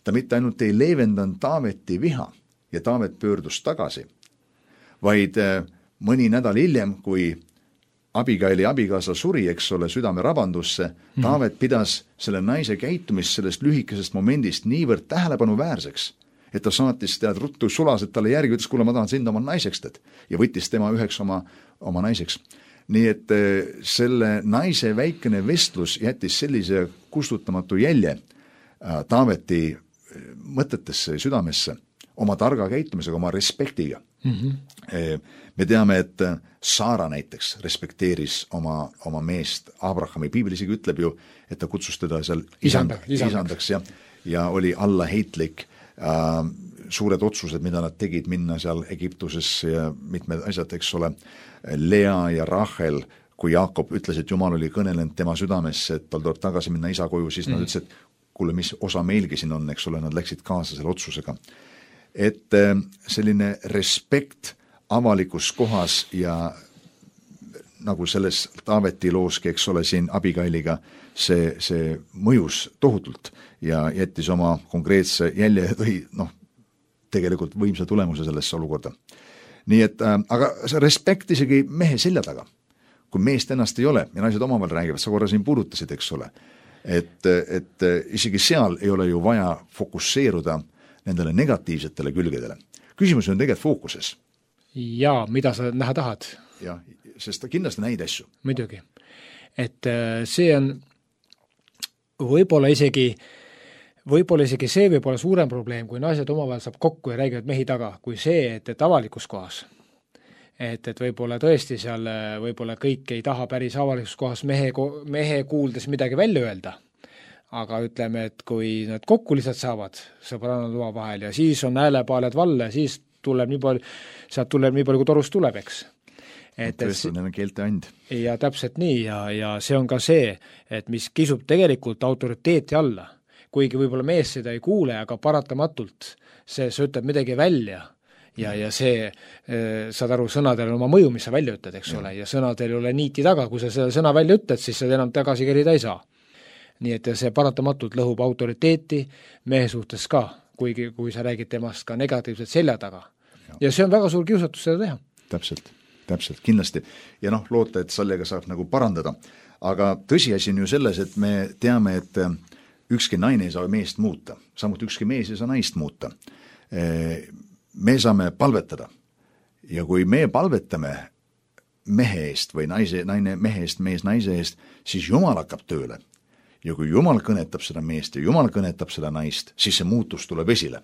ta mitte ainult ei leevendanud Taaveti viha ja Taavet pöördus tagasi, vaid mõni nädal hiljem, kui Abigaili abikaasa suri, eks ole, südame rabandusse, Taavet pidas selle naise käitumist sellest lühikesest momendist niivõrd tähelepanuväärseks, et ta saatis tead ruttu sulased talle järgi, ütles, kuule, ma tahan sind oma naiseks teed, ja võttis tema üheks oma naiseks. Nii et selle naise väikene vestlus jättis sellise kustutamatu jälje Taaveti mõtetesse ja südamesse oma targa käitumisega, oma respektiga. Me teame, et Saara näiteks respekteeris oma meest Abrahami. Piibel isegi ütleb ju, et ta kutsus teda seal isandaks ja oli allaheitlik. Suured otsused, mida nad tegid minna seal Egiptusesse ja mitmed asjad, eks ole, Lea ja Rachel, kui Jaakob ütles, et Jumal oli kõnelenud tema südamesse, et tal tuleb tagasi minna isa koju, siis nad ütlesid, et kuule, mis osa meilgi siin on, eks ole, nad läksid kaasa selle otsusega. Et selline respekt avalikus kohas ja nagu selles Taaveti looski, eks ole, siin Abigailiga, see mõjus tohutult ja jättis oma konkreetse jälje või tegelikult võimsa tulemuse sellesse olukorda. Nii et, aga see respekt isegi mehe selja taga, kui meest ennast ei ole ja naised omavahel räägivad, sa korra siin puudutasid, eks ole, et isegi seal ei ole ju vaja fokusseeruda nendele negatiivsetele külgedele. Küsimus on tegelikult fookuses. Ja, mida sa näha tahad? Ja, sest kindlasti näid asju. Muidugi. Et see on võib-olla isegi see võib olla suurem probleem, kui naised omavahel saab kokku ja räägivad mehi taga, kui see, et avalikus kohas. Et võib-olla tõesti seal võib-olla kõik ei taha päris avalikus kohas mehe kuuldes midagi välja öelda. Aga ütleme, et kui nad kokku lihtsalt saavad sõbrannad oma vahel ja siis on häälepaaled valle, siis tuleb nii palju, kui torust tuleb, eks. Tõesti, neil on keelte and. Ja täpselt nii ja see on ka see, et mis kisub tegelikult autoriteeti alla. Kuigi võib-olla mees seda ei kuule, aga paratamatult see ütleb midagi välja ja see, saad aru, sõnadel on oma mõju, mis sa välja ütled, eks ole, ja sõnadel ei ole niiti taga, kui sa selle sõna välja ütled, siis sa enam tagasi kerida ei saa. Nii et see paratamatult lõhub autoriteeti mehe suhtes ka, kuigi kui sa räägid temast ka negatiivselt selja taga. Ja see on väga suur kiusatus seda teha. Täpselt, kindlasti. Ja loota, et sellega saab nagu parandada. Aga tõsiasi on ju selles, et me teame, et ükski naine ei saa meest muuta, samuti ükski mees ei saa naist muuta. Me saame palvetada ja kui me palvetame mehe eest või naine mehe eest, mees naise eest, siis Jumal hakkab tööle. Ja kui Jumal kõnetab seda meest ja Jumal kõnetab seda naist, siis see muutus tuleb esile.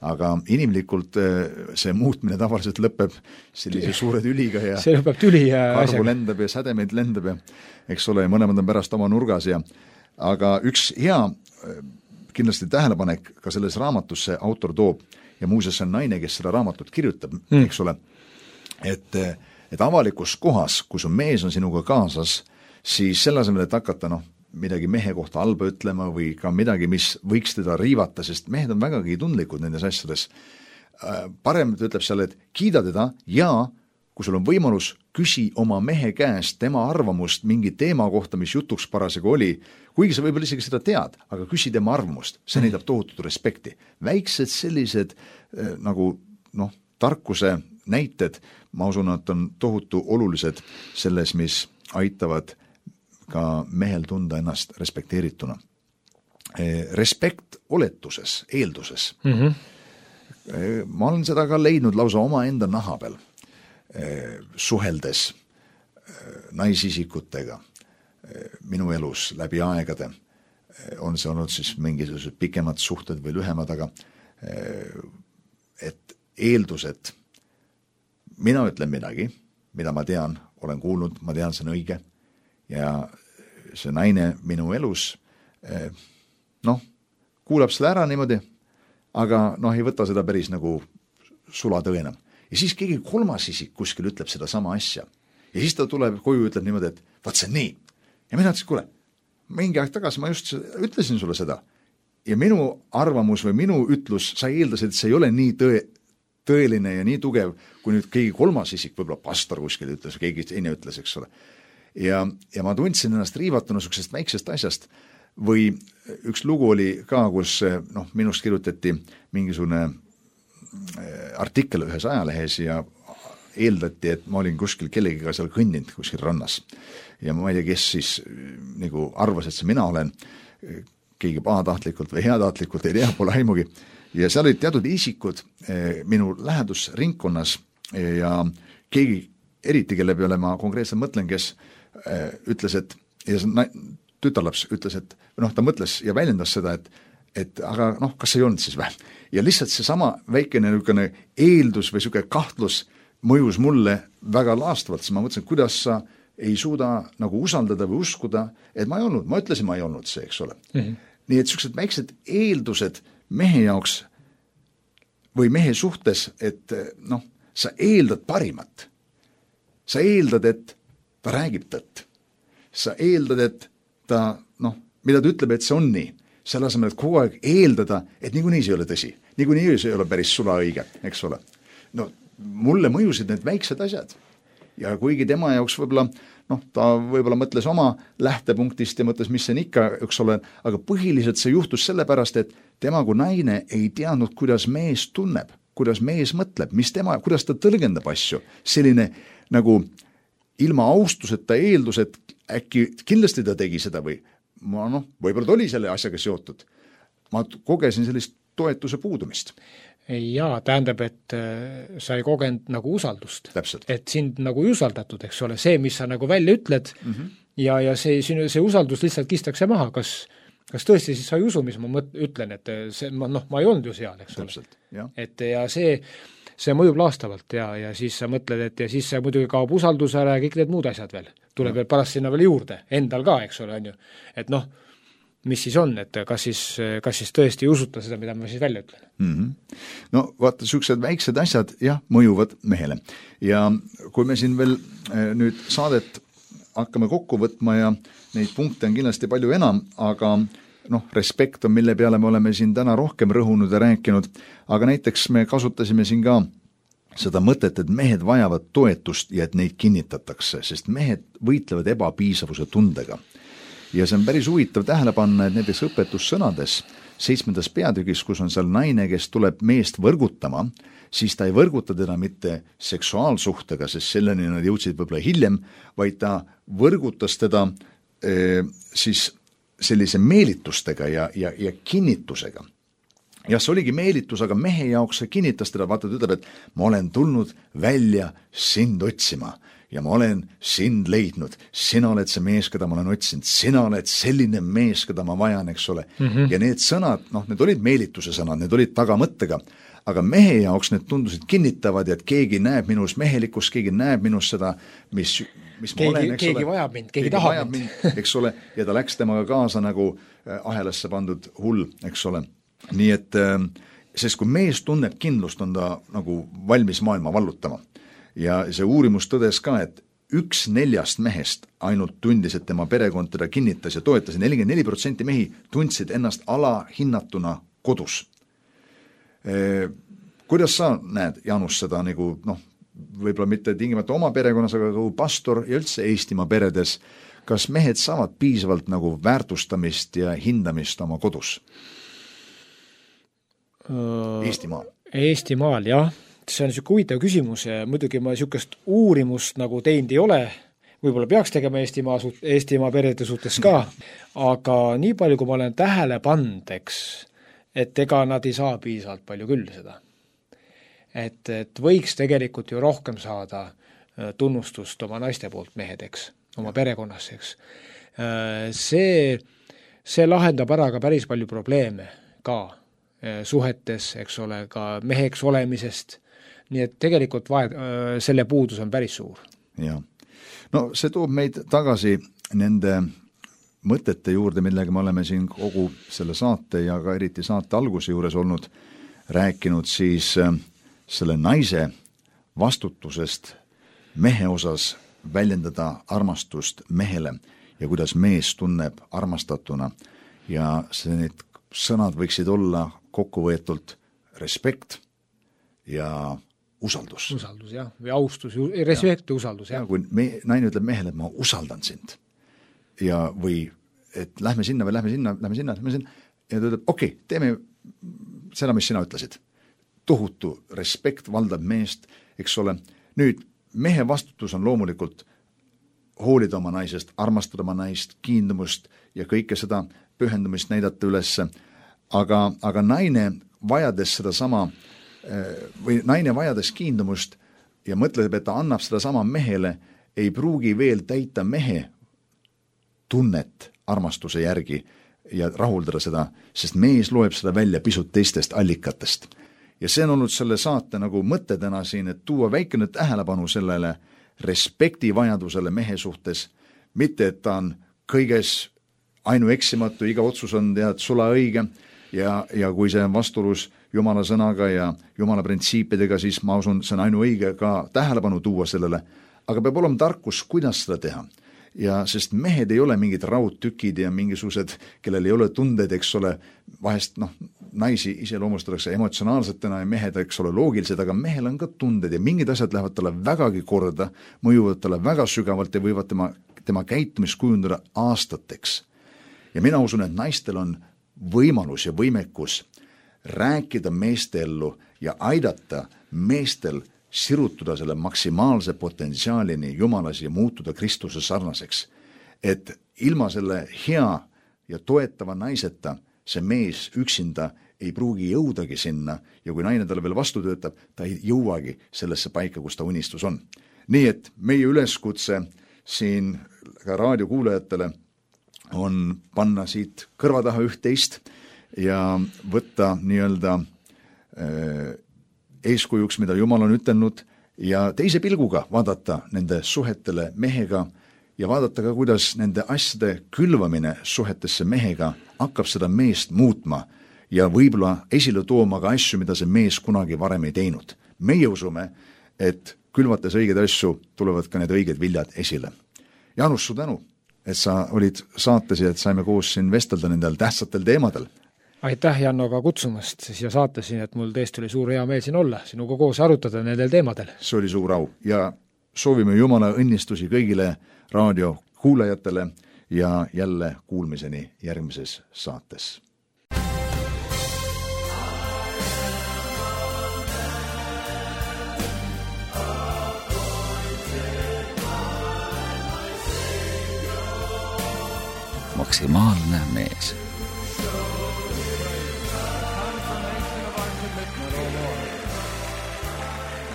Aga inimlikult see muutmine tavaliselt lõpeb sellise suure tüliga ja see lõpeb tüli ja karvu lendab ja sädemeid lendab ja eks ole, mõlemad on pärast oma nurgas aga üks hea kindlasti tähelepanek ka selles raamatus see autor toob ja muuseas on naine, kes seda raamatut kirjutab, eks ole, et avalikus kohas, kus mees on sinuga kaasas, siis selle asemel, et hakata midagi mehe kohta halba ütlema või ka midagi, mis võiks teda riivata, sest mehed on vägagi tundlikud nendes asjades. Parem ta ütleb seal, et kiida teda ja kui sul on võimalus, küsi oma mehe käest tema arvamust mingi teema kohta, mis jutuks parasjagu oli, kuigi sa võib-olla isegi seda tead, aga küsi tema arvamust, see näitab tohutut respekti. Väiksed sellised nagu tarkuse näited, ma usun, et on tohutu olulised selles, mis aitavad ka mehel tunda ennast respekteerituna. Respekt oletuses, eelduses. Ma olen seda ka leidnud lausa oma enda naha peal, suheldes naisisikutega minu elus läbi aegade. On see olnud siis mingisugused pikemad suhted või lühemad, aga et eeldused, mina ütlen midagi, mida ma tean, olen kuulnud, ma tean, see on õige ja see naine minu elus kuulab selle ära niimoodi, aga ei võta seda päris nagu sulatõena. Ja siis keegi kolmas isik kuskil ütleb seda sama asja. Ja siis ta tuleb koju ja ütleb niimoodi, et vaat see on nii. Ja mina ütlesin, kuule, mingi aeg tagasi ma just ütlesin sulle seda. Ja minu arvamus või minu ütlus, sa eeldasid, et see ei ole nii tõeline ja nii tugev, kui nüüd keegi kolmas isik, võib-olla pastor kuskil ütles, keegi teine ütles, eks ole. Ja ma tundsin ennast riivatuna sellisest väiksest asjast. Või üks lugu oli ka, kus minust kirjutati mingisugune artikkel ühes ajalehes ja eeldati, et ma olin kuskil kellegiga seal kõndinud kuskil rannas. Ja ma ei tea, kes siis nagu arvas, et see mina olen, keegi pahatahtlikult või heatahtlikult, ei tea, pole aimugi. Ja seal olid teatud isikud minu lähedusringkonnas ja keegi eriti, kelle peale ma konkreetselt mõtlen, kes ütles, et ja tütarlaps ütles, et ta mõtles ja väljendas seda, et aga kas ei olnud siis vähem. Ja lihtsalt see sama väikene eeldus või selline kahtlus mõjus mulle väga laastavalt, siis ma mõtlesin, kuidas sa ei suuda nagu usaldada või uskuda, et ma ei olnud, ma ütlesin, ma ei olnud see, eks ole. Nii et sellised väiksed eeldused mehe jaoks või mehe suhtes, et sa eeldad parimat. Sa eeldad, et ta räägib tõtt. Sa eeldad, et ta, mida ta ütleb, et see on nii. Selle asemel, et kogu aeg eeldada, et niikuinii see ei ole tõsi. Niikuinii see ei ole päris sula õige, eks ole. Mulle mõjusid need väiksed asjad. Ja kuigi tema jaoks võib-olla, ta võib-olla mõtles oma lähtepunktist ja mõtles, mis see on ikka, eks ole, aga põhiliselt see juhtus sellepärast, et tema kui naine ei teadnud, kuidas mees tunneb, kuidas mees mõtleb, kuidas ta tõlgendab asju. Selline nagu ilma austuseta eeldus, et äkki kindlasti ta tegi seda või võib-olla ta oli selle asjaga seotud. Ma kogesin sellist toetuse puudumist. Jaa, tähendab, et sa ei kogenud nagu usaldust. Täpselt. Et sind nagu ei usaldatud, eks ole, see, mis sa nagu välja ütled ja see usaldus lihtsalt kistakse maha. Kas tõesti siis sa ei usu, mis ma ütlen, et ma ei olnud ju seal, eks ole. Täpselt, jah. Et ja see mõjub laastavalt ja siis sa mõtled, et ja siis see muidugi kaob usaldusele ja kõik need muud asjad veel. Tuleb veel pärast sinna veel juurde, endal ka, eks ole, on ju. Et mis siis on, et kas siis tõesti ei usuta seda, mida ma siis välja ütlen? Vaata, sellised väiksed asjad, jah, mõjuvad mehele. Ja kui me siin veel nüüd saadet hakkame kokku võtma ja neid punkte on kindlasti palju enam, aga respekt on, mille peale me oleme siin täna rohkem rõhunud ja rääkinud, aga näiteks me kasutasime siin ka seda mõtet, et mehed vajavad toetust ja et neid kinnitatakse, sest mehed võitlevad ebapiisavuse tundega. Ja see on päris huvitav tähele panna, et näiteks õpetussõnades 7. peatükis, kus on seal naine, kes tuleb meest võrgutama, siis ta ei võrguta teda mitte seksuaalsuhtega, sest selleni nad jõudsid võib-olla hiljem, vaid ta võrgutas teda siis sellise meelitustega ja kinnitusega. Ja see oligi meelitus, aga mehe jaoks see kinnitas teda, vaata, ta ütleb, et ma olen tulnud välja sind otsima ja ma olen sind leidnud. Sina oled see mees, keda ma olen otsinud. Sina oled selline mees, keda ma vajan, eks ole. Ja need sõnad, need olid meelituse sõnad, need olid tagamõttega, aga mehe jaoks need tundusid kinnitavad, et keegi näeb minus mehelikkust, keegi näeb minus seda, mis ma olen, eks ole. Keegi vajab mind, keegi tahab mind. Eks ole, ja ta läks temaga kaasa nagu ahelasse pandud hull, eks ole. Nii et, sest kui mees tunneb kindlust, on ta nagu valmis maailma vallutama. Ja see uurimus tõdes ka, et 1/4 mehest ainult tundis, et tema perekond teda kinnitas ja toetas, 44% mehi tundsid ennast alahinnatuna kodus. Kuidas sa näed, Jaanus, seda nagu võib-olla mitte tingimata oma perekonnas, aga kui pastor ja üldse Eestimaa peredes, kas mehed saavad piisavalt nagu väärtustamist ja hindamist oma kodus? Eestimaal, jah. See on niisugune huvitav küsimus ja muidugi ma niisugust uurimust nagu teinud ei ole, võib-olla peaks tegema Eestimaa perede suhtes ka, aga nii palju, kui ma olen tähele pannud, et ega nad ei saa piisavalt palju küll seda. Et võiks tegelikult ju rohkem saada tunnustust oma naiste poolt mehedeks, oma perekonnas, See lahendab ära ka päris palju probleeme ka suhetes, ole, ka meheks olemisest, nii et tegelikult selle puudus on päris suur. Ja. No see toob meid tagasi nende mõtete juurde, millega me oleme siin kogu selle saate ja ka eriti saate alguse juures olnud rääkinud siis selle naise vastutusest mehe osas väljendada armastust mehele ja kuidas mees tunneb armastatuna ja need sõnad võiksid olla kokkuvõetult respekt ja usaldus. Usaldus, jah, või austus, respekt ja usaldus, jah. Kui naine ütleb mehele, et ma usaldan sind ja või et lähme sinna või lähme sinna ja ta ütleb, okei, teeme seda, mis sina ütlesid. Tohutu respekt valdab meest, eks ole. Nüüd, mehe vastutus on loomulikult hoolida oma naisest, armastada oma naist, kiindumust ja kõike seda pühendumist näidata ülesse, aga naine vajades seda sama või naine vajades kiindumust ja mõtleb, et ta annab seda sama mehele, ei pruugi veel täita mehe tunnet armastuse järgi ja rahuldada seda, sest mees loeb seda välja pisut teistest allikatest. Ja see on olnud selle saate nagu mõte täna siin, et tuua väikene tähelepanu sellele respekti vajadusele mehe suhtes, mitte et ta on kõiges ainueksimatu, iga otsus on tead sula õige ja kui see on vastuolus Jumala sõnaga ja Jumala printsiipidega, siis ma usun, see on ainuõige ka tähelepanu tuua sellele, aga peab olema tarkus, kuidas seda teha. Ja sest mehed ei ole mingid raudtükid ja mingisugused, kellel ei ole tundeid, eks ole, vahest naisi iseloomustatakse emotsionaalsetena ja mehed, eks ole, loogilised, aga mehel on ka tunded ja mingid asjad lähevad talle vägagi korda, mõjuvad talle väga sügavalt ja võivad tema käitumist kujundada aastateks. Ja mina usun, et naistel on võimalus ja võimekus rääkida meestellu ja aidata meestel sirutuda selle maksimaalse potentsiaalini Jumalas ja muutuda Kristuse sarnaseks. Et ilma selle hea ja toetava naiseta see mees üksinda ei pruugi jõudagi sinna ja kui naine talle veel vastu töötab, ta ei jõuagi sellesse paika, kus ta unistus on. Nii et meie üleskutse siin ka raadiokuulajatele on panna siit kõrva taha üht-teist ja võtta nii-öelda eeskujuks, mida Jumal on ütelnud ja teise pilguga vaadata nende suhetele mehega ja vaadata ka, kuidas nende asjade külvamine suhetesse mehega hakkab seda meest muutma ja võib-olla esile tooma ka asju, mida see mees kunagi varem ei teinud. Meie usume, et külvates õigeid asju tulevad ka need õiged viljad esile. Jaanus, su tänu, et sa olid saates ja et saime koos siin vestelda nendel tähtsatel teemadel. Aitäh, Janno, ka kutsumast siia saatesiin, et mul tõesti oli suur hea meel siin olla, sinuga koos arutada nendel teemadel. See oli suur au ja soovime Jumala õnnistusi kõigile raadiokuulajatele ja jälle kuulmiseni järgmises saates. Maksimaalne mees.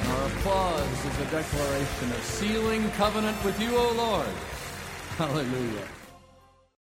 Applause is a declaration of sealing covenant with you, O Lord. Hallelujah.